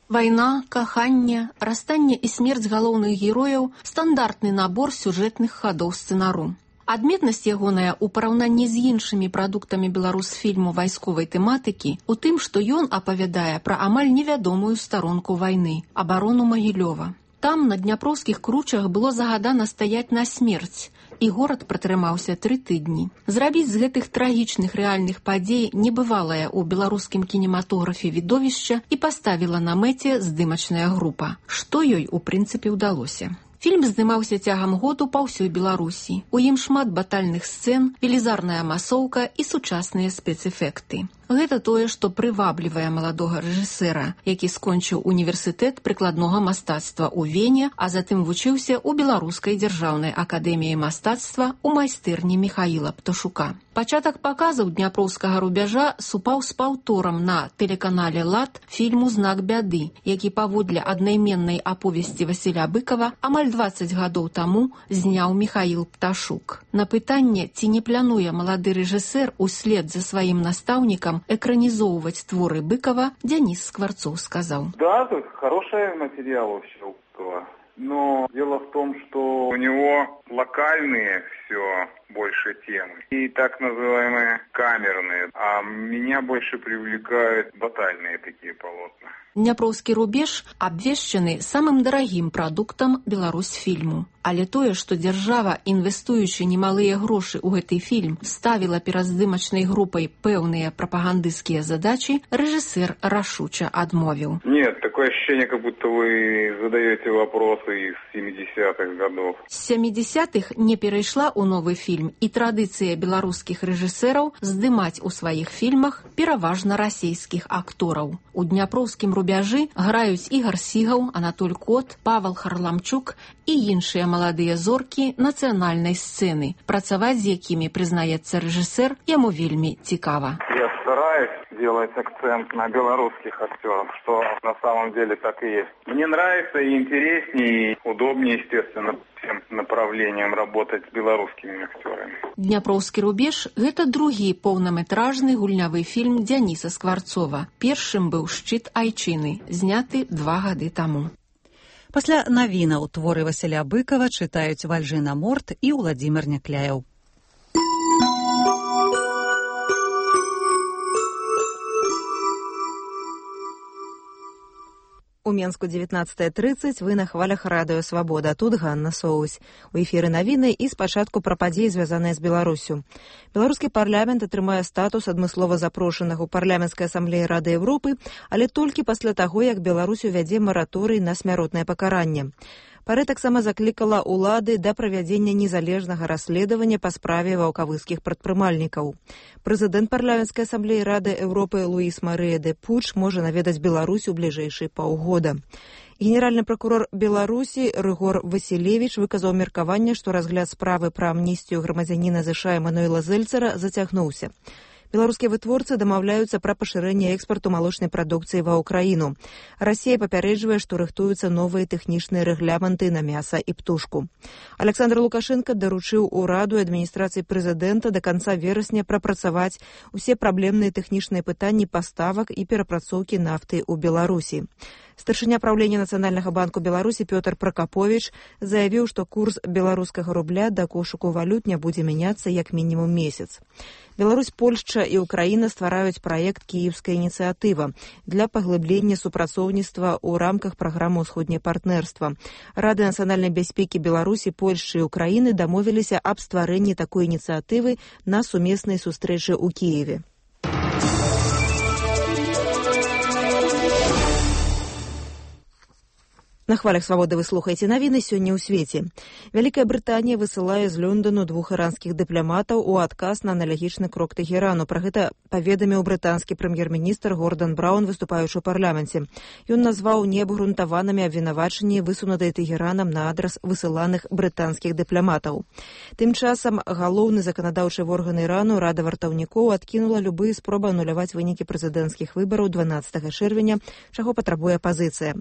Вайна, каханне, расстанне і смерць галоўных герояў – стандартны набор сюжэтных хадоў сцэнару. Адметнасць ягоная ў параўнанні з іншымі прадуктамі беларусфільму вайсковай тэматыкі ў тым, што ён апавядае пра амаль невядомую старонку вайны – абарону Магілёва. Там, на дняпроўскіх кручах, было загадана стаяць на смерць, і горад пратрымаўся тры тыдні. Зрабіць з гэтых трагічных рэальных падзей небывалае ў беларускім кінематографе відовішча і паставіла на мэце здымачная група, што ёй, у прынцыпе, удалося. Фільм здымаўся цягам году па ўсёй Беларусі. У ім шмат батальных сцэн, велізарная масоўка і сучасныя спецэфекты. Гэта тое, што прываблівае маладога рэжысэра, які скончыў універсітэт прыкладнога мастацтва ў Вене, а затым вучыўся ў Беларускай дзяржаўнай акадэміі мастацтва ў майстэрні Міхаіла Пташука. Пачатак паказаў дняпроўскага рубяжа супаў з паўторам на тэлеканале «Лад» фільму «Знак бяды», які паводле аднайменнай аповесці Васіля Быкава амаль дваццаць гадоў таму зняў Міхаіл Пташук. На пытанне, ці не плануе малады рэжысэр услед за сваім настаўнікам экранизовывать творы Быкова, Денис Скворцов сказал. Да, хороший материал вообще у Быкова. Но дело в том, что у него локальные все все больше темы. И так называемые камерные. А меня больше привлекают батальные такие полотна. Дняпроўскі рубеж абвешчаны самым дарагім прадуктам Беларусьфільму. Але тое, што дзяржава, інвестуючы немалыя грошы ў гэты фільм, ставіла перад здымачнай групай пэўныя прапагандысцкія задачы, рэжысэр рашуча адмовіў. Нет, такое ощущение, как будто вы задаете вопросы из семидесятых годов. З сямідзесятых не перайшла ў новы фільм і традыцыя беларускіх рэжысэраў здымаць у сваіх фільмах пераважна расійскіх актораў. У дняпроўскім рубяжы граюць Ігар Сігаў, Анатоль Кот, Павел Харламчук і іншыя маладыя зоркі нацыянальнай сцэны, працаваць з якімі, прызнаецца рэжысэр, яму вельмі цікава. Я стараюсь делать акцент на белорусских актеров, что на самом деле так и есть. Мне нравится и интереснее, и удобнее, естественно, всем направлениям работать с белорусскими актерами. Дняпроўскі рубеж – гэта другі поўнаметражны гульнявы фільм Дзяніса Скварцова. Першым быў «Шчыт айчыны», зняты два гады таму. Пасля навінаў творы Васіля Быкава чытаюць Вальжына Морт і Уладзімир Някляеў. У Менску дзевятнаццатая трыццаць, вы на хвалях радыё «Свабода». Тут Ганна Соусь. У эфіры навіны і спачатку пра падзеі, звязаныя з Беларуссю. Беларускі парламент атрымае статус адмыслова запрошанага ў парламенцкай асамблеі Рады Еўропы, але толькі пасля таго, як Беларусь увядзе мараторый на смяротнае пакаранне. Парэ таксама заклікала ўлады да правядзення незалежнага расследавання па справе ваўкавыскіх прадпрымальнікаў. Прэзідэнт парламенцкай асамблеі Рады Еўропы Луіс Марыя де Пуч можа наведаць Беларусь у бліжэйшыя паўгода. Генеральны пракурор Беларусі Рыгор Васілевіч выказаў меркаванне, што разгляд справы пра амністыю грамадзяніна ЗША Эмануэла Зэльцара зацягнуўся. Беларускія вытворцы дамаўляюцца пра пашырэнне экспарту малочнай прадукцыі ва ўкраіну. Расія папярэджвае, што рыхтуюцца новыя тэхнічныя рэгламенты на мяса і птушку. Александр Лукашенко даручыў ураду і адміністрацыі прэзідэнта да канца верасня прапрацаваць усе праблемныя тэхнічныя пытанні паставак і перапрацоўкі нафты ў Беларусі. Старшыня праўлення Нацыянальнага банку Беларусі Пётр Пракаповіч заявіў, што курс беларускага рубля да кошыку валют не будзе мяняцца як мінімум месяц. Беларусь, Польшча і Украіна ствараюць праект «Кіеўская ініцыятыва» для паглыблення супрацоўніцтва ў рамках праграмы «Усходняе партнерства». Рады нацыянальнай бяспекі Беларусі, Польшчы і Украіны дамовіліся аб стварэнні такой ініцыятывы на сумеснай сустрэчы ў Кіеве. На хвалях «Свабоды» вы слухаеце навіны сёння ў свеце. Вялікая Брытанія высылае з Лондону двух іранскіх дыпламатаў у адказ на аналагічны крок Тэхерану. Пра гэта паведаміў брытанскі прэм'ер-міністр Гордан Браўн, выступаючы ў парламенце. Ён назваў неабгрунтаванымі абвінавачанні, высунутыя Тэхеранам на адрас высыланых брытанскіх дыпламатаў. Тым часам галоўны заканадаўчы орган Ірану Рада вартаўнікоў адкінула любыя спробы ануляваць вынікі прэзідэнцкіх выбараў дванаццатага чэрвеня, чаго патрабуе апазіцыя.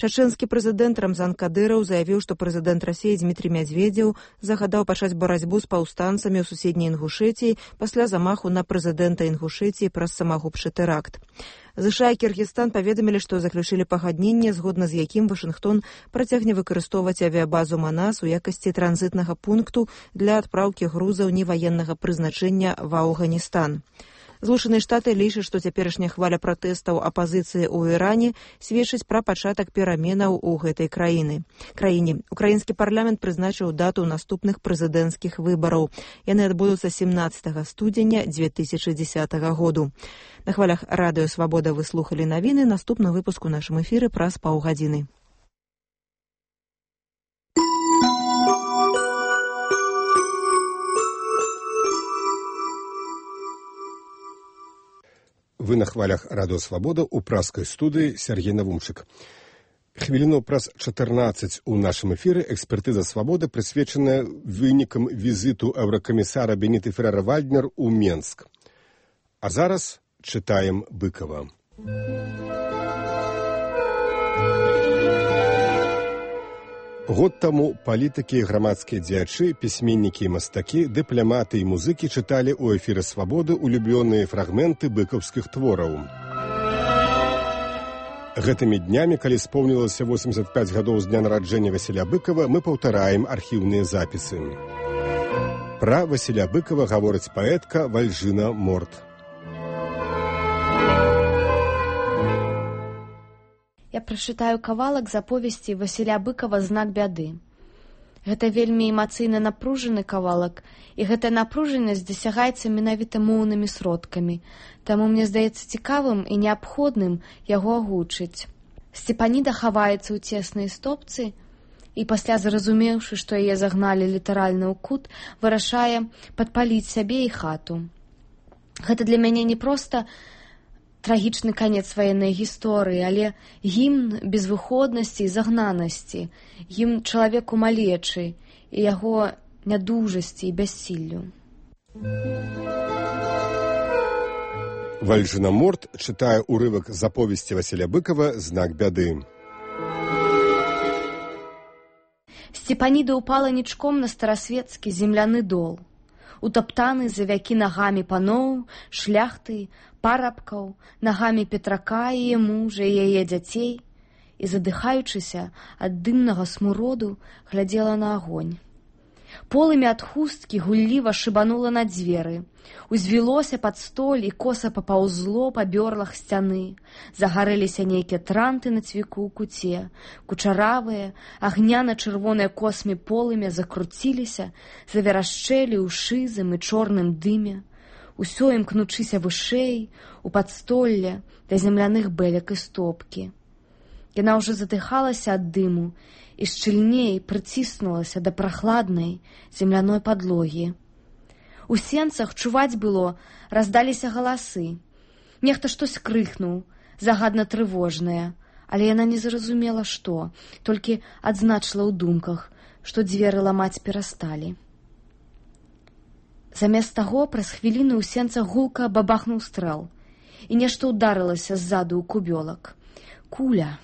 Чачэнскі Прэзідэнт Рамзан Кадыраў заявіў, што прэзідэнт Расіі Дмітрий Мядзведзеў загадаў пачаць барацьбу з паўстанцамі ў суседняй Інгушэтіі пасля замаху на прэзідэнта Інгушэтіі праз самагубчы тэракт. ЗША і Кіргізстан паведамілі, што заключылі пагадненне, згодна з якім Вашынгтон працягне выкарыстоўваць авіябазу Манас у якасці транзітнага пункту для адпраўкі грузаў неваеннага прызначэння ва Афганістан. Злучаныя Штаты лічаць, што цяперашняя хваля пратэстаў апазіцыі ў Іране сведчыць пра пачатак пераменаў у гэтай краіны. краіне. Украінскі парламент прызначыў дату наступных прэзідэнцкіх выбараў. Яны адбудуцца семнаццатага студзеня дзве тысячы дзесятага году. На хвалях радыё «Свабода» вы слухалі навіны. Наступны выпуск у нашым эфіры праз паўгадзіны. Вы на хвалях радыё «Свабода» у праскай студыі Сергей Навумчык. Хвіліну праз чатырнаццаць у нашым эфіры экспертыза «Свабоды» прысвечаная вынікам візіту еўракамісара Беніты Феррера-Вальднер у Менск. А зараз чытаем Быкова. Год таму палітыкі і грамадскія дзеячы, пісьменнікі і мастакі, дыпламаты і музыкі чыталі ў эфіры «Свабоды» улюбёныя фрагменты быкаўскіх твораў. Гэтымі днямі, калі споўнілася восемьдесят пять гадоў з дня нараджэння Васіля Быкова, мы паўтараем архіўныя запісы. Пра Васіля Быкава гаворыць паэтка Вальжына Морт. Я прачытаю кавалак з аповесці Васіля Быкава «Знак бяды». Гэта вельмі эмацыйна напружаны кавалак, і гэтая напружанасць дасягаецца менавіта моўнымі сродкамі, таму мне здаецца цікавым і неабходным яго агучыць. Сцепаніда хаваецца ў цеснай стопцы і пасля, зразумеўшы, што яе загналі літаральна ў кут, вырашае падпаліць сябе і хату. Гэта для мяне не проста трагічны канец ваеннай гісторыі, але гімн безвыходнасці і загнанасці, гімн чалавеку малечы і яго нядужасці і бяссіллю. Вальжына Морт чытае урывак з аповесці Васіля Быкава «Знак бяды». Сцепаніда ўпала нічком на старасветскі земляны дол, утаптаны за вякі нагамі паноў, шляхты, парабкаў, нагамі Петрака і мужа і яе дзяцей, і, задыхаючыся ад дымнага смуроду, глядзела на агонь. Полымя ад хусткі гулліва шыбанула на дзверы, узвілося пад столь і коса папаўзло па бёрлах сцяны, загарэліся нейкія транты на цвіку ў куце, кучаравыя, агняна-чырвоныя космі полымя закруціліся, заверашчэлі ў шызым і чорным дыме, усё імкнучыся вышэй, у падстолле, да земляных бэлек і стопкі. Яна ўжо задыхалася ад дыму і шчыльней прыціснулася да прахладнай земляной падлогі. У сенцах чуваць было, раздаліся галасы. Нехта штось крыкнуў, загадна трывожнае, але яна не зразумела, што, толькі адзначыла ў думках, што дзверы ламаць перасталі. Замест таго, праз хвіліну ў сенцах гулка бабахнуў стрэл, і нешта ўдарылася ззаду ў кубёлак. Куля.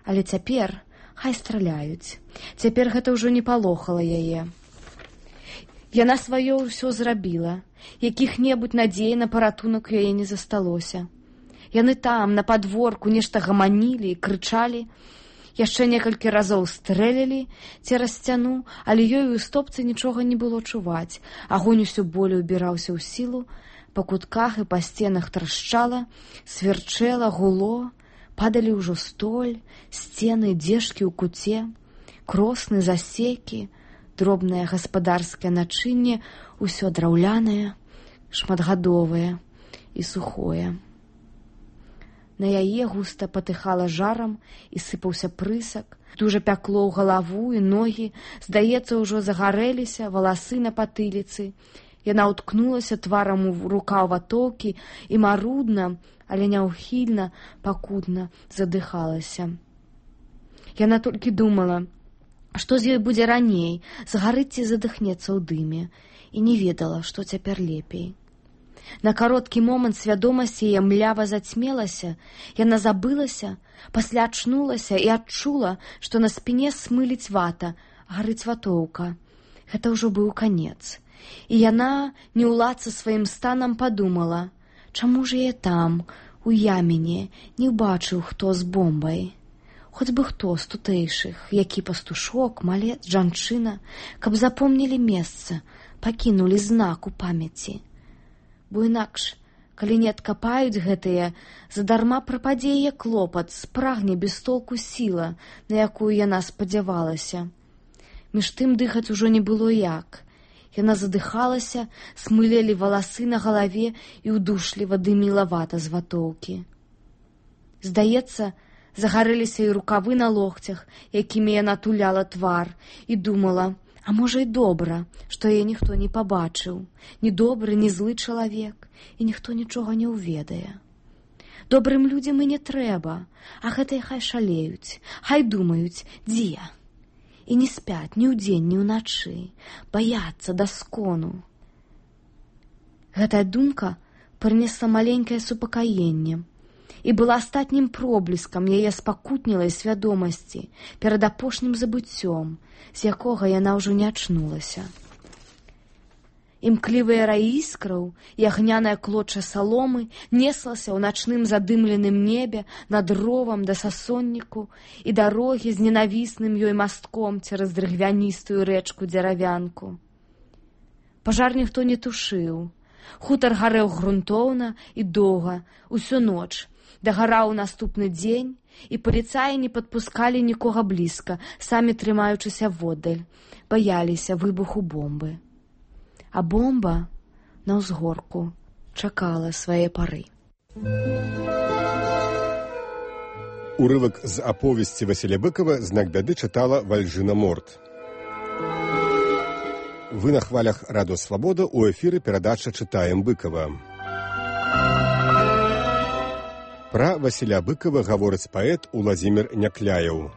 Але цяпер хай страляюць. Цяпер гэта ўжо не палохала яе. Яна сваё ўсё зрабіла. Якіх-небудзь надзей на паратунак яе не засталося. Яны там, на падворку, нешта гаманілі і крычалі. Яшчэ некалькі разоў стрэлілі цераз сцяну, але ёй у стопцы нічога не было чуваць. Агонь усё болей убіраўся ў сілу, па кутках і па сценах трашчала, сверчэла, гуло, падалі ўжо столь, сцены, дзежкі ў куце, кросны, засекі, дробнае гаспадарскае начынне, усё драўлянае, шматгадовае і сухое. На яе густа патыхала жарам і сыпаўся прысак, дужа пякло ў галаву і ногі, здаецца, ўжо загарэліся валасы на патыліцы. Яна ўткнулася тварам у рукаў ватоўкі і марудна, але няўхільна, пакутна задыхалася. Яна толькі думала, што з ёй будзе раней, згарыць ці задыхнецца ў дыме, і не ведала, што цяпер лепей. На кароткі момант свядомасць яе млява зацьмелася, яна забылася, пасля ачнулася і адчула, што на спіне смыліць вата, гарыць ватоўка. Гэта ўжо быў канец. І яна, не ўладца сваім станам, падумала, чаму ж я там, у ямене, не ўбачыў, хто з бомбай. Хоць бы хто з тутэйшых, які пастушок, малец, жанчына, каб запомнілі месца, пакінулі знак у памяці. Бо інакш, калі не адкапаюць гэтыя, задарма прападзе яе клопат, спрагне без толку сіла, на якую яна спадзявалася. Між тым дыхаць ужо не было як. Яна задыхалася, смылелі валасы на галаве і ўдушліва дыміла вата з ватоўкі. Здаецца, загарэліся і рукавы на локцях, якімі яна туляла твар, і думала, а можа і добра, што яе ніхто не пабачыў, ні добры, ні злы чалавек, і ніхто нічога не ўведае. Добрым людзям і не трэба, а гэтыя хай шалеюць, хай думаюць, дзе. І не спяць ні ўдзень, ні ўначы, баяцца да скону. Гэтая думка прынесла маленькае супакаенне і была астатнім пробліскам яе спакутнілай свядомасці перад апошнім забыццём, з якога яна ўжо не ачнулася. Імклівыя раі іскраў і агняная клоча саломы неслася ў начным задымленым небе над ровам да сасонніку і дарогі з ненавісным ёй мастком цераз дрыгвяністую рэчку дзеравянку. Пажар ніхто не тушыў. Хутар гарэў грунтоўна і доўга, усю ноч. Дагараў наступны дзень, і паліцаі не падпускалі нікога блізка, самі трымаючыся воддаль, баяліся выбуху бомбы. А бомба на ўзгорку чакала свае пары. Урывак з аповесці Васіля Быкова «Знак бяды» чытала Вальжына Морт. Вы на хвалях Радыё Свабода, у эфіры перадача «Чытаем Быкова». Пра Васіля Быкова гаворыць паэт Уладзімір Някляеў.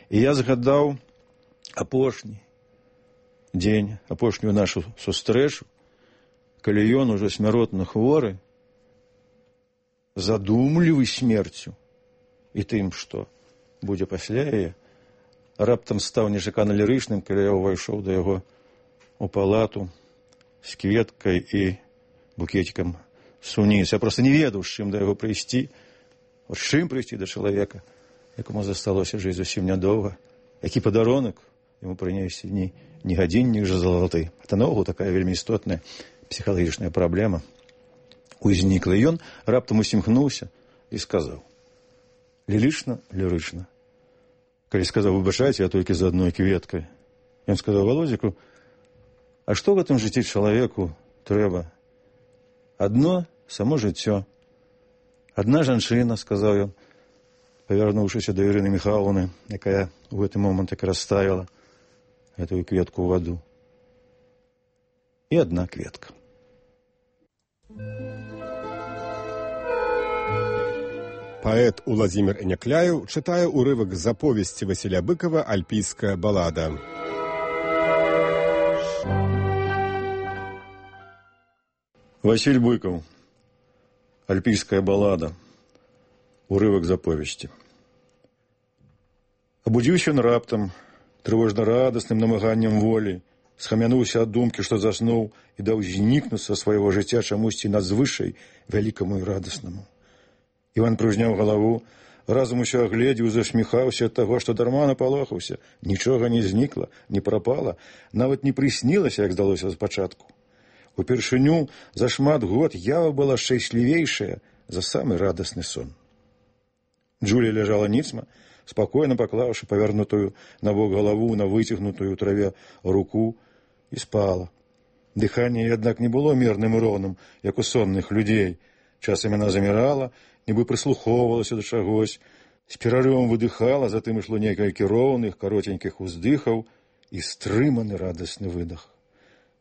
І я згадаў апошні дзень, апошнюю нашу сустрэчу, калі ён ужо смяротна хворы, задумлівы смерцю і тым, што будзе пасля яе, раптам стаў нечакана лірычным, калі я ўвайшоў да яго у палату з кветкай і букетикам суніц. Я проста не ведаў, з чым да яго прыйсці, з чым прыйсці да чалавека, якому засталося жыць зусім нядоўга, які падарунак яму прынесці ні, ні гадзіннік жа залаты. Это наогул такая вельмі істотная псіхалагічная праблема узнікла. І ён раптам усімкнуўся і сказаў: лірычна, лірычна. Калі сказаў: выбачайце, я толькі з адной кветкай. Ён сказаў Володзіку: а што в гэтым жыцці чалавеку трэба? Адно само жыццё. Адна жанчына, сказаў ён, павярнуўшыся да Ірыны Міхайлаўны, якая у гэты момант так расставіла гэтую кветку ў ваду. І адна кветка. Паэт Уладзімір Някляеў чытае ўрывак з аповесці Васіля Быкова «Альпійская балада». Васіль Быкаў. «Альпійская балада». Урывак з аповесці. Абудзіўся ён раптам, трывожна-радасным намаганнем волі, схамянуўся ад думкі, што заснуў і даў знікнуць са свайго жыцця чамусьці надзвышай вялікаму і радаснаму. Іван прыўзняў галаву, разам усё агледзеў, засміхаўся ад таго, што дарма напалохаўся. Нічога не знікла, не прапала, нават не прыснілася, як здалося спачатку. Упершыню за шмат год ява была шчаслівейшая за самы радасны сон. Джулія ляжала ніцма, спакойна паклаўшы павярнутую набок галаву на выцягнутую ў траве руку, і спала. Дыханне, аднак, не было мірным і роўным, як у сонных людзей. Часам яна замірала, нібы прыслухоўвалася да чагось, з перарывам выдыхала, затым ішло некалькі роўных, каротенькіх уздыхаў і стрыманы радасны выдах.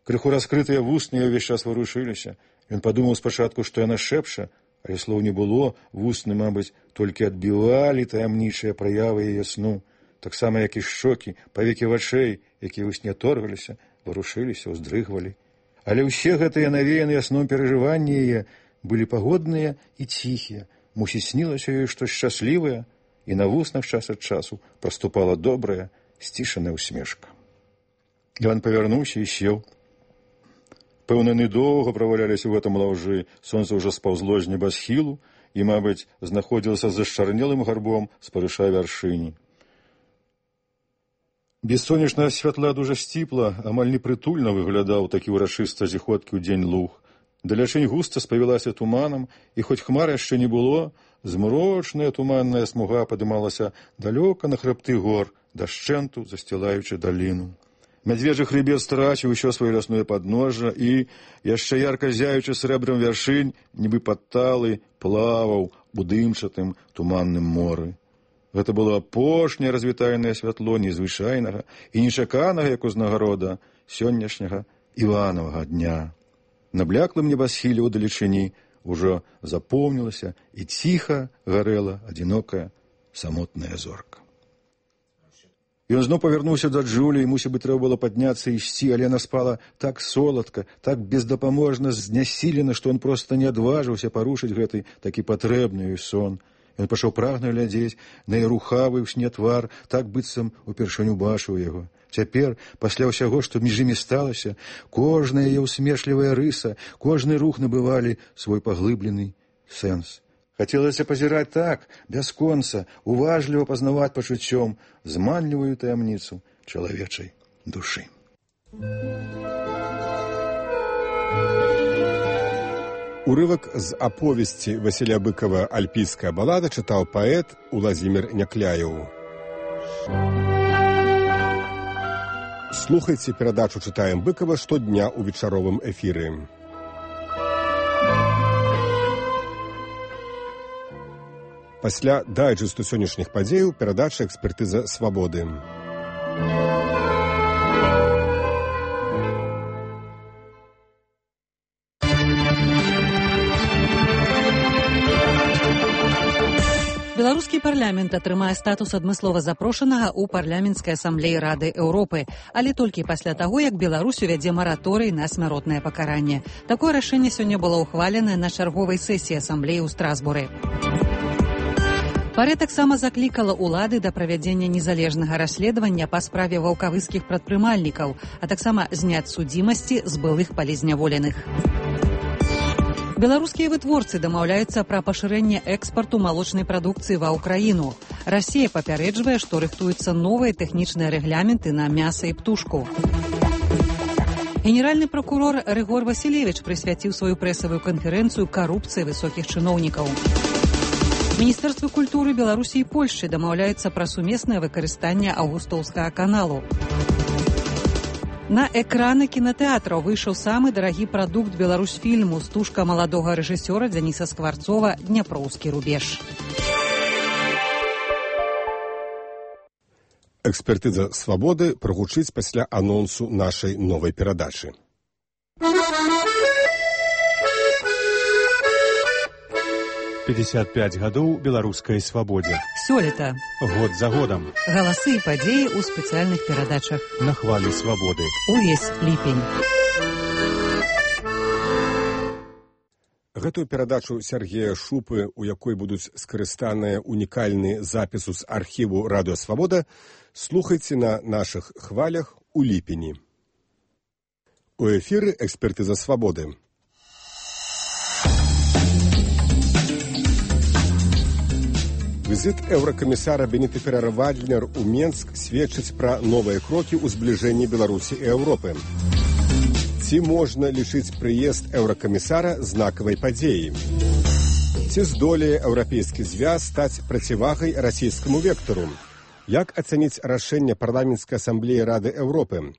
Крыху раскрытыя вусны ўвесь час варушыліся. Ён падумаў спачатку, што яна шэпча, але слоў не было, вусны, мабыць, толькі адбівалі таямнічыя праявы яе сну, таксама, як і шчокі, павекі вачэй, якія ў сне торгаліся, варушыліся, уздрыгвалі. Але ўсе гэтыя навеяныя сном перажыванні яе былі пагодныя і ціхія. Мусіць, снілася ёй штось шчаслівае, і на вуснах час ад часу праступала добрая, сцішаная усмешка. Іван павярнуўся і сеў. Пэўна, недоўга праваляліся ў гэтым лаўжы, сонца ўжо спаўзло з небасхілу і, мабыць, знаходзілася за шчарнелым гарбом спарыша вяршыні. Без сонечнага святла дужа сціпла, амаль непрытульна выглядаў такі ўрачыста зіходкі ў дзень луг. Далячынь густа спавілася туманам, і хоць хмар яшчэ не было, змрочная туманная смуга падымалася далёка на хрыбты гор, дашчэнту засцілаючы даліну. Мядзвежы хрыбет страціў усё сваё лясное падножжа і, яшчэ ярка зяючы срэбрам вяршынь, нібы падталы, плаваў у дымчатым туманным моры. Гэта было апошняе развітальнае святло незвычайнага і нечаканага, як узнагарода, сённяшняга Іванавага дня. На бляклым небасхіле ў далечыні ўжо запомнілася і ціха гарэла адзінокая самотная зорка. Ён зноў павярнуўся да Джулі, і, мусіць быць, трэба было падняцца і ісці, але яна спала так соладка, так бездапаможна знясілена, што ён проста не адважыўся парушыць гэты такі патрэбны ёй сон. Ён пашоў прагна глядзець на яе рухавы ў сне твар, так быццам упершыню бачыў яго. Цяпер, пасля ўсяго, што між імі сталася, кожная яе ўсмешлівая рыса, кожны рух набывалі свой паглыблены сэнс. Хацелася пазіраць так, бясконца, уважліва пазнаваць пачуццём зманлівую таямніцу чалавечай душы. Урывак з аповесці Васіля Быкова «Альпійская балада» чытаў паэт Уладзімір Някляеў. Слухайце перадачу «Чытаем Быкова» штодня ў вечаровым эфіры. Пасля дайджэсту сённяшніх падзеяў перадача «Экспертыза свабоды». Беларускі парламент атрымае статус адмыслова запрошанага ў парламенцкай асамблеі Рады Еўропы, але толькі пасля таго, як Беларусь увядзе мараторый на смяротнае пакаранне. Такое рашэнне сёння было ўхваленае на чарговай сесіі асамблеі ў Страсбуры. Парэ таксама заклікала ўлады да правядзення незалежнага расследавання па справе ваўкавыскіх прадпрымальнікаў, а таксама зняць судзімасці з былых палізняволеных. Беларускія вытворцы дамаўляюцца пра пашырэнне экспарту малочнай прадукцыі ва ўкраіну. Расія папярэджвае, што рыхтуюцца новыя тэхнічныя рэгляменты на мяса і птушку. Генеральны пракурор Рыгор Васілевіч прысвяціў сваю прэсавую канферэнцыю карупцыі высокіх чыноўнікаў. Міністэрствы культуры Беларусі і Польшчы дамаўляюцца пра сумеснае выкарыстанне Аўгустоўскага каналу. На экраны кінатэатраў выйшаў самы дарагі прадукт беларусфільму стужка маладога рэжысёра Дзяніса Скварцова «Дняпроўскі рубеж». Экспертыза свабоды прагучыць пасля анонсу нашай новай перадачы. пятьдесят пять гадоў беларускай свабодзе. Сёлета. Год за годам. Галасы і падзеі ў спецыяльных перадачах. На хвалі свабоды. Увесь ліпень. Гэтую перадачу Сергея Шупы, у якой будуць скарыстаныя унікальныя запісу з архіву «Радыё Свабода», слухайце на нашых хвалях у ліпені. У эфіры «Экспертыза свабоды». Візіт еўракамісара Беніты Феррера-Вальднер у Менск сведчыць пра новыя крокі ў збліжэнні Беларусі і Еўропы. Ці можна лічыць прыезд еўракамісара знакавай падзеяй? Ці здолее еўрапейскі звяз стаць процівагай расійскаму вектару? Як ацаніць рашэнне парламенцкай асамблеі Рады Еўропы?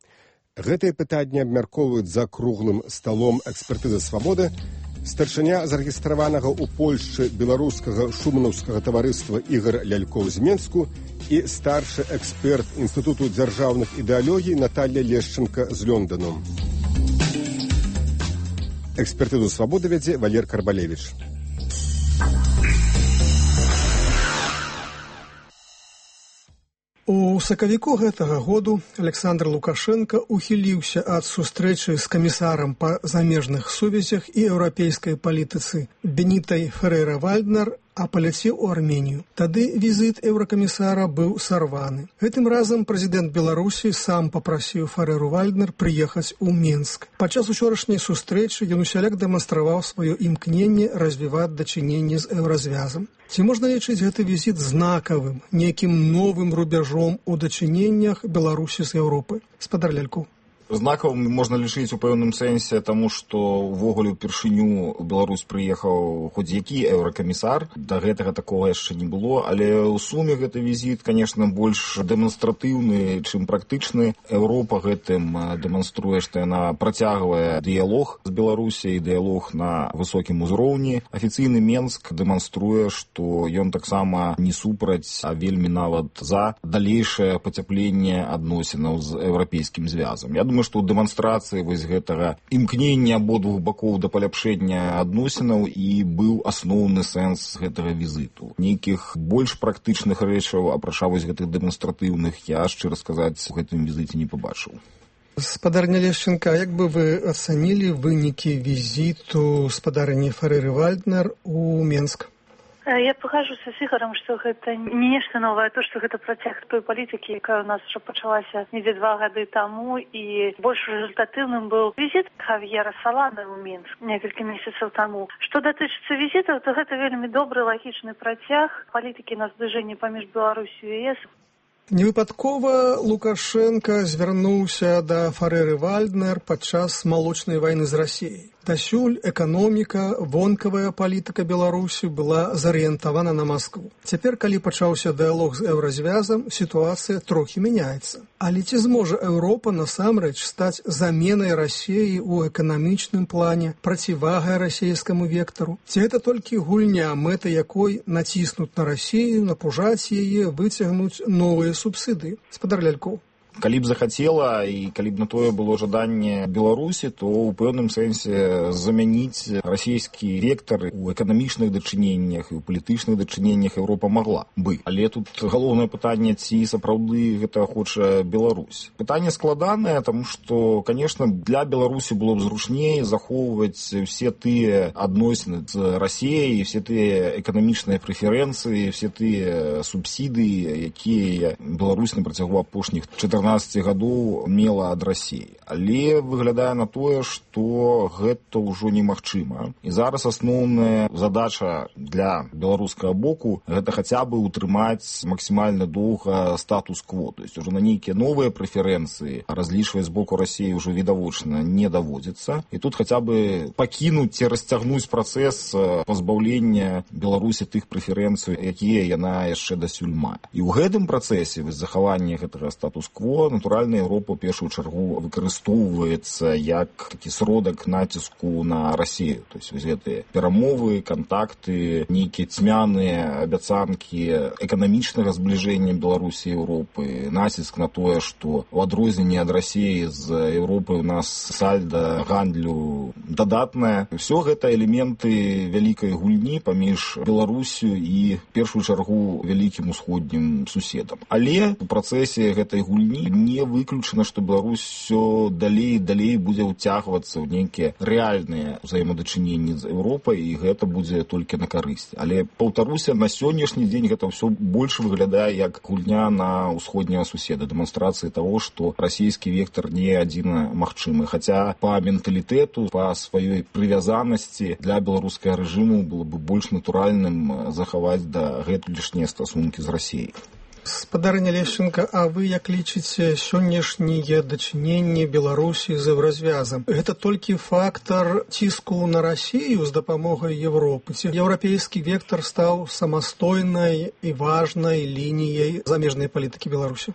Гэтыя пытанні абмяркоўваюць за круглым сталом экспертызы свабоды старшыня зарэгістраванага ў Польшчы беларускага шуманаўскага таварыства Ігар Лялькоў з Менску і старшы эксперт Інстытуту дзяржаўных ідэалогій Наталья Лешченка з Лёндану. Экспертызу свабоды вядзе Валер Карбалевіч. У сакавіку гэтага году Александр Лукашенко ухіліўся ад сустрэчы з камісарам па замежных сувязях і еўрапейскай палітыцы Бенітай Феррера-Вальднер, а паляцеў у Арменію. Тады візіт еўракамісара быў сарваны. Гэтым разам прэзідэнт Беларусі сам папрасіў Ферреру-Вальднер прыехаць у Менск. Падчас учорашняй сустрэчы ён усяляк дэманстраваў сваё імкненне развіваць дачыненні з еўразвязам. Ці можна лічыць гэты візіт знакавым, нейкім новым рубяжом у дачыненнях Беларусі з Еўропы? Спадар Лялькоў. Знакавым можна лічыць у пэўным сэнсе, таму што ўвогуле ўпершыню ў Беларусь прыехаў хоць які еўракамісар. Да гэтага такога яшчэ не было, але ў суме гэты візіт, конечно, больш дэманстратыўны, чым практычны. Еўропа гэтым дэманструе, што яна працягвае дыялог з Беларусяй, дыялог на высокім узроўні. Афіцыйны Менск дэманструе, што ён таксама не супраць, а вельмі нават за далейшае пацяпленне адносінаў з еўрапейскім звязам. Я думаю, што ў дэманстрацыі вось гэтага імкнення абодвух бакоў да паляпшэння адносінаў і быў асноўны сэнс гэтага візіту. Нейкіх больш практычных рэчаў, апрача вось гэтых дэманстратыўных, я, шчыра сказаць, у гэтым візіце не пабачыў. Спадарня Лешченка, як бы вы ацанілі вынікі візіту спадарні Ферреры-Вальднер у Менск? Я пагажуся з Ігорам, што гэта не нешта новае, то, што гэта працяг той палітыкі, якая ў нас ўжо пачалася недзе два гады таму, і больш результатыўным быў візіт Хавьера Салана ў Мінск некалькі месяцаў таму. Што датычыцца візітаў, то гэта вельмі добры лагічны працяг палітыкі на збліжэнне паміж Беларусью і ЕС. Невыпадкова Лукашенко звярнуўся да Ферэры Вальднер падчас малочнай вайны з Расіяй. Дасюль эканоміка, вонкавая палітыка Беларусі была зарыентавана на Маскву. Цяпер, калі пачаўся дыялог з еўразвязам, сітуацыя трохі мяняецца. Але ці зможа Еўропа насамрэч стаць заменай Расіі ў эканамічным плане, процівагай расійскаму вектару? Ці гэта толькі гульня, мэта якой націснуць на Расію, напужаць яе, выцягнуць новыя субсыдыі? Спадар Лялькоў. Калі б захацела і калі б на тое было жаданне Беларусі, то ў пэўным сэнсе замяніць расійскі вектар у эканамічных дачыненнях і ў палітычных дачыненнях Еўропа магла бы. Але тут галоўнае пытанне, ці сапраўды гэта хоча Беларусь. Пытанне складанае, таму што, канешне, для Беларусі было б зручней захоўваць усе тыя адносіны з Расіяй, все тыя эканамічныя прэферэнцыі, все тыя субсідыі, якія Беларусь на працягу апошніх чатырнаццаці гадоў мела ад Расіі. Але выглядае на тое, што гэта ўжо немагчыма. І зараз асноўная задача для беларускага боку гэта хаця бы утрымаць максімальна доўга статус-кво. То есть уже на нейкія новыя прэферэнцыі разлічваць з боку Расіі ўжо відавочна не даводзіцца. І тут хаця бы пакінуць ці расцягнуць працэс пазбаўлення Беларусі тых прэферэнцый, якія яна яшчэ дасюль мае. І ў гэтым працэсе захавання гэтага статус-кво натуральна Еўропа ў першую чаргу выкарыстоўваецца як такі сродак націску на Расію. То есть гэтыя перамовы, кантакты, нейкія цьмяныя абяцанкі эканамічнага збліжэння Беларусі і Еўропы, націск на тое, што ў адрозненне ад Расіі з Еўропы ў нас сальда гандлю дадатнае. Усё гэта элементы вялікай гульні паміж Беларусю і в першую чаргу вялікім усходнім суседам. Але у працэсе гэтай гульні не выключана, што Беларусь все далей і далей будзе ўцягвацца ў нейкія рэальныя ўзаемадачыненні з Еўропай, і гэта будзе толькі на карысць. Але, паўтаруся, на сённяшні дзень гэта ўсё больш выглядае як гульня на ўсходняга суседа, дэманстрацыі таго, што расійскі вектар не адзіна магчымы. Хаця па менталітэту, па сваёй прывязанасці для беларускага рэжыму было бы больш натуральным захаваць да гэтулішнія стасункі з Расіяй. Спадарыня Лешченка, а вы як лічыце сённяшнія дачыненні Беларусі з еўразвязам? Гэта толькі фактар ціску на Расію з дапамогай Еўропы? Ці еўрапейскі вектар стаў самастойнай і важнай лініяй замежнай палітыкі Беларусі?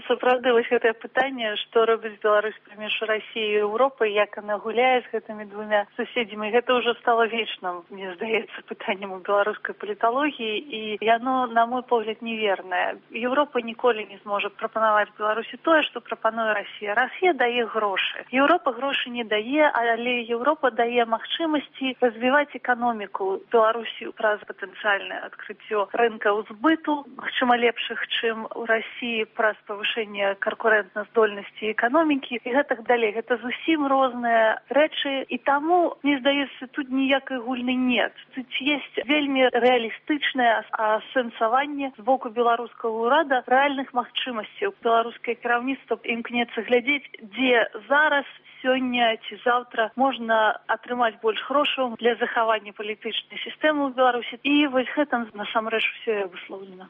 Сапраўды, вось гэтае пытанне, што робіць Беларусь паміж Расіяй і Еўропай, як яна гуляе з гэтымі двумя суседзямі, гэта ўжо стала вечным, мне здаецца, пытаннем у беларускай паліталогіі, і яно, на мой погляд, невернае. Еўропа ніколі не зможа прапанаваць Беларусі тое, што прапануе Расія. Расія дае грошы. Еўропа грошы не дае, але Еўропа дае магчымасці развіваць эканоміку Беларусі праз патэнцыяльнае адкрыццё рынкаў збыту, магчыма, лепшых, чым у Расіі, праз павышэнне канкурэнтназдольнасці эканомікі і гэтак далей. Гэта зусім розныя рэчы, і таму, мне здаецца, тут ніякай гульны нет. Тут ёсць вельмі рэалістычнае асэнсаванне з боку беларускага ўрада рэальных магчымасцяў. Беларускае кіраўніцтва імкнецца глядзець, дзе зараз, сёння ці заўтра можна атрымаць больш грошаў для захавання палітычнай сістэмы ў Беларусі. І вось гэтым насамрэч усё абусловлена.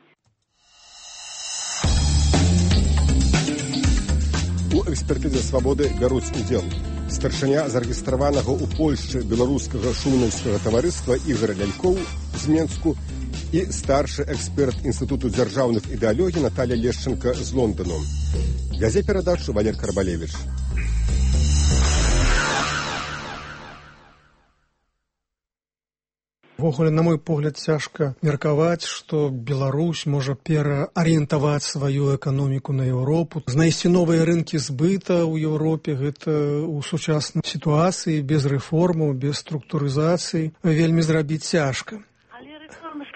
У экспертызе свабоды бяруць удзел старшыня зарэгістраванага ў Польшчы беларускага шумнаўскага таварыства Ігор Лялькоў з Менску і старшы эксперт Інстытуту дзяржаўных ідэалогій Наталля Лешченка з Лондану. Вядзе перадачу Валер Карбалевіч. Ввогуле, на мой погляд, цяжка меркаваць, што Беларусь можа пераарыентаваць сваю эканоміку на Еўропу. Знайсці новыя рынкі збыта ў Еўропе, гэта ў сучаснай сітуацыі, без рэформаў, без структурызацыі, вельмі зрабіць цяжка. Але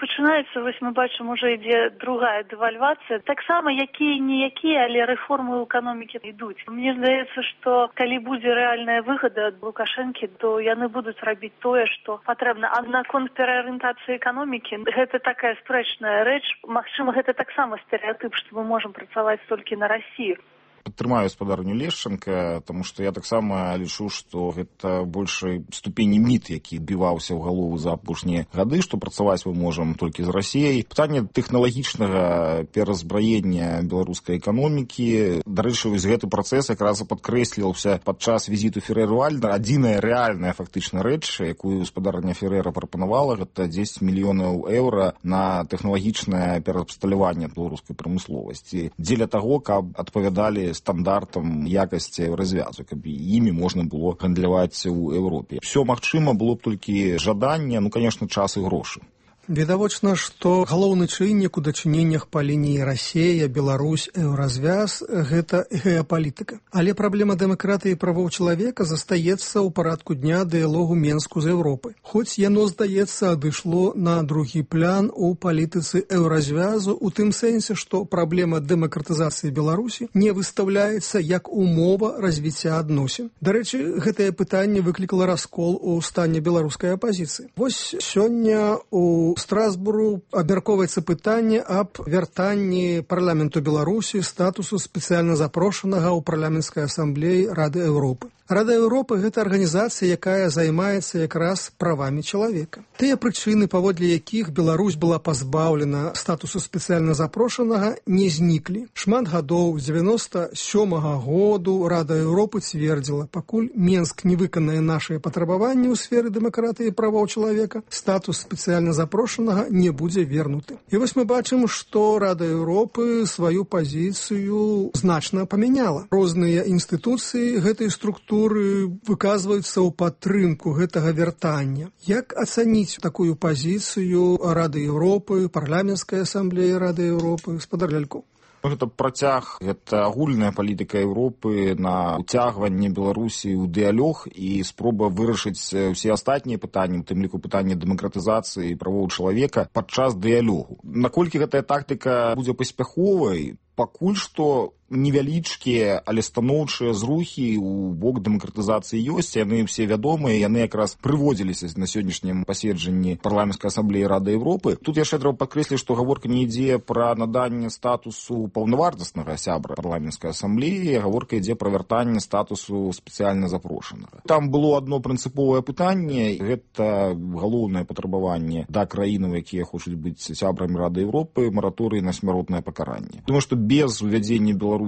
Пачынаецца, вось мы бачым, уже ідзе другая дэвальвацыя. Таксама якія-ніякія, але рэформы ў эканомікі ідуць. Мне здаецца, што калі будзе рэальная выгада ад Лукашэнкі, то яны будуць рабіць тое, што патрэбна. А наконт пераарыентацыі эканомікі, гэта такая спрэчная рэч. Магчыма, гэта таксама стэрэатып, што мы можам працаваць толькі на Расію. Падтрымаю спадарню Лешчанка, таму што я таксама лічу, што гэта большай ступені міт, які адбіваўся ў галову за апошнія гады, што працаваць мы можам толькі з Расіяй. Пытанне тэхналагічнага перазбраення беларускай эканомікі. Дарэчы, вось гэты працэс якраз падкрэсліваўся падчас візіту Ферэры Вальднера. Адзіная рэальная фактычна рэч, якую спадарня Ферэра прапанавала, гэта дзесяць мільёнаў еўра на тэхналагічнае пераабсталяванне беларускай прамысловасці. Дзеля таго, каб адпавядалі стандартам якасці развязу, каб імі можна было гандляваць у Еўропе. Всё магчыма, было б толькі жаданне, ну, конечно, час і грошы. Відавочна, што галоўны чыннік у дачыненнях па лініі Расія, Беларусь, еўразвяз – гэта геапалітыка. Але праблема дэмакратыі і правоў чалавека застаецца ў парадку дня дыялогу Менску з Еўропай. Хоць яно, здаецца, адышло на другі план у палітыцы еўразвязу ў тым сэнсе, што праблема дэмакратызацыі Беларусі не выстаўляецца як умова развіцця адносін. Дарэчы, гэтае пытанне выклікала раскол у стане беларускай апазіцыі. Вось сёння у Страсбуру абмяркоўваецца пытанне аб вяртанні парламенту Беларусі статусу спецыяльна запрошанага ў парламенцкай асамблеі Рады Еўропы. Рада Еўропы – гэта арганізацыя, якая займаецца якраз правамі чалавека. Тыя прычыны, паводле якіх Беларусь была пазбаўлена статусу спецыяльна запрошанага, не зніклі. Шмат гадоў, з дзевяноста сёмага году Рада Еўропы цвердзіла, пакуль Менск не выканае нашыя патрабаванні ў сферы дэмакратыі і правоў чалавека, статус спецыяльна запрошанага не будзе вернуты. І вось мы бачым, што Рада Еўропы сваю пазіцыю значна памяняла. Розныя інстытуцыі гэтай структуры выказваюцца ў падтрымку гэтага вяртання. Як ацаніць такую пазіцыю Рады Еўропы, парламенцкай асамблеі Рады Еўропы, спадар Лялькоў? Гэта працяг, гэта агульная палітыка Еўропы на уцягванне Беларусі ў дыялог і спроба вырашыць усе астатнія пытанні, у тым ліку пытанне дэмакратызацыі і правоў чалавека падчас дыялогу. Наколькі гэтая тактыка будзе паспяховай, пакуль што невялічкія, але станоўчыя зрухі ў бок дэмакратызацыі ёсць, яны ўсе вядомыя, яны якраз прыводзіліся на сённяшнім паседжанні парламенцкай асамблеі Рады Еўропы. Тут яшчэ трэба падкрэсліць, што гаворка не ідзе пра наданне статусу паўнавартаснага сябра парламенцкай асамблеі, гаворка ідзе пра вяртанне статусу спецыяльна запрошанага. Там было адно прынцыповае пытанне, гэта галоўнае патрабаванне да краінаў, якія хочуць быць сябрамі Рады Еўропы, мараторый на смяротнае пакаранне. Думаю, што без увядзення Беларусі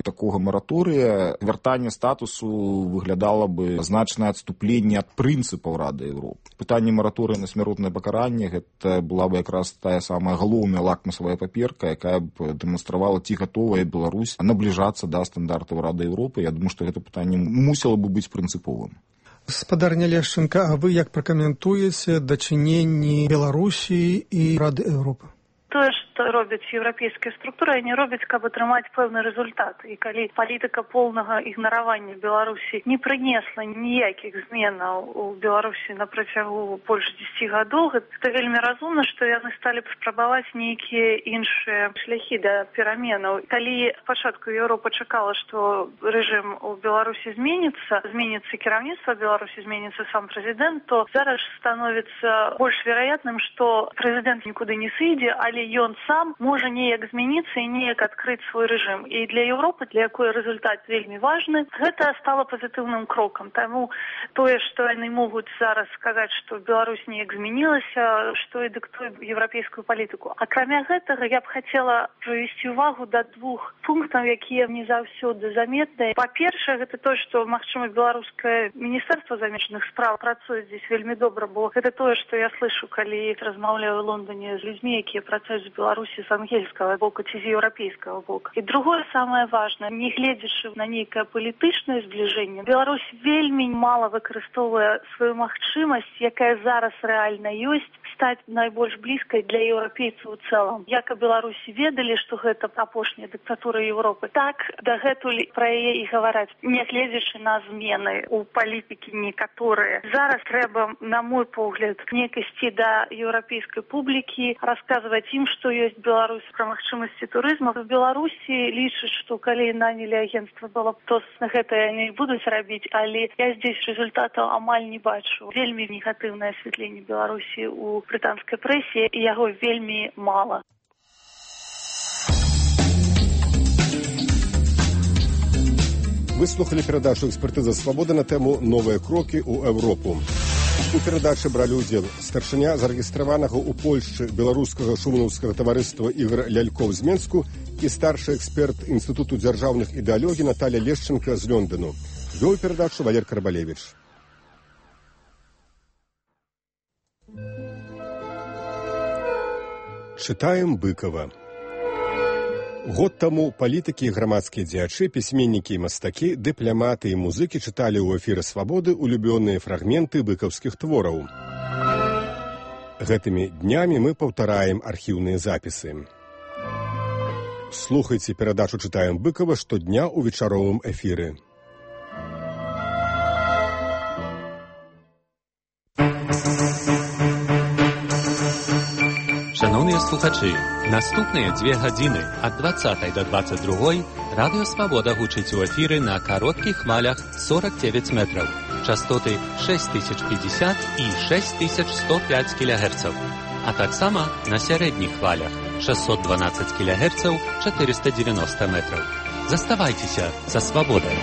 такога мараторыя вяртанне статусу выглядала бы значнае адступленне ад прынцыпаў Рады Еўропы. Пытанне мараторыя на смяротнае пакаранне гэта была бы якраз тая самая галоўная лакмусавая паперка, якая б дэманстравала, ці гатовая Беларусь набліжацца да стандартаў Рады Еўропы. Я думаю, што гэта пытанне мусіла бы быць прынцыповым. Спадарня Лешчанка, а вы як пракаментуеце дачыненні Беларусі і Рады Еўропы? Тое, што робяць еўрапейскія структуры, яны робяць, каб атрымаць пэўны рэзультат. І калі палітыка поўнага ігнаравання Беларусі не прынесла ніякіх зменаў у Беларусі на працягу больш дзесяці гадоў, гэта вельмі разумна, што яны сталі б спрабаваць нейкія іншыя шляхі да пераменаў. Калі спачатку Еўропа чакала, што рэжым у Беларусі зменіцца, зменіцца кіраўніцтва Беларусі, зменіцца сам прэзідэнт, то зараз становіцца больш вероятным, што прэзідэнт нікуды не сыдзе, але ён сам можа неяк змяніцца і неяк адкрыць свой рэжым. І для Еўропы, для якой рэзультат вельмі важны, гэта стала пазітыўным крокам. Таму тое, што яны могуць зараз сказаць, што Беларусь неяк змянілася, што і дыктуе еўрапейскую палітыку. Акрамя гэтага, я б хацела прывесці ўвагу да двух пунктаў, якія не заўсёды заметныя. Па-першае, гэта тое, што, магчыма, беларускае міністэрства замежных спраў працуе здесь вельмі добра, бо гэта тое, што я слышу, калі размаўляю ў Лондоне з людзьмі, якія працуюць з Беларусі Беларусі з ангельскага боку ці з еўрапейскага боку. І другое самае важнае, не гледзячы на нейкае палітычнае збліжэнне, Беларусь вельмі мала выкарыстоўвае сваю магчымасць, якая зараз рэальна ёсць, стаць найбольш блізкай для еўрапейцаў у цэлым. Як і Беларусі ведалі, што гэта апошняя дыктатура Еўропы, так дагэтуль пра яе і гавараць, не гледзячы на змены у палітыкі некаторыя. Зараз трэба, на мой погляд, не ісці да еўрапейскай публікі, расказваць ім, што ёсць Беларусь пра магчымасці турызму. В Беларусі лічаць, што калі нанялі агенцтва было б, то гэта яны будуць рабіць, але я здесь результатаў амаль не бачу. Вельмі негатыўнае асвятленне Беларусі у брытанскай прэсе, і яго вельмі мала. Выслухали перадачу «Экспертыза свабоды» на тэму «Новыя крокі ў Еўропу». У перадачы бралі ўдзел старшыня зарэгістраванага ў Польшчы беларускага шумаўскага таварыства Ігор Лялькоў з Менску і старшы эксперт Інстытуту дзяржаўных ідэалогій Наталя Лешченка з Лёндану. Вёў перадачу Валер Карбалевіч. Чытаем Быкова. Год таму палітыкі і грамадскія дзеячы, пісьменнікі і мастакі, дыпламаты і музыкі чыталі ў эфіры «Свабоды» улюбёныя фрагменты быкаўскіх твораў. Гэтымі днямі мы паўтараем архіўныя запісы. Слухайце перадачу «Чытаем Быкова» штодня ў вечаровым эфіры. Шановныя слухачы, наступныя дзве гадзіны ад дваццатай да дваццаць другой радыё «Свабода» гучыць у эфіры на кароткіх хвалях сорок девять метраў, частоты шесть тысяч пятьдесят і шесть тысяч сто пять кілогерцаў, а таксама на сярэдніх хвалях шестьсот двенадцать кілогерцаў, четыреста девяносто метраў. Заставайцеся са «Свабодай».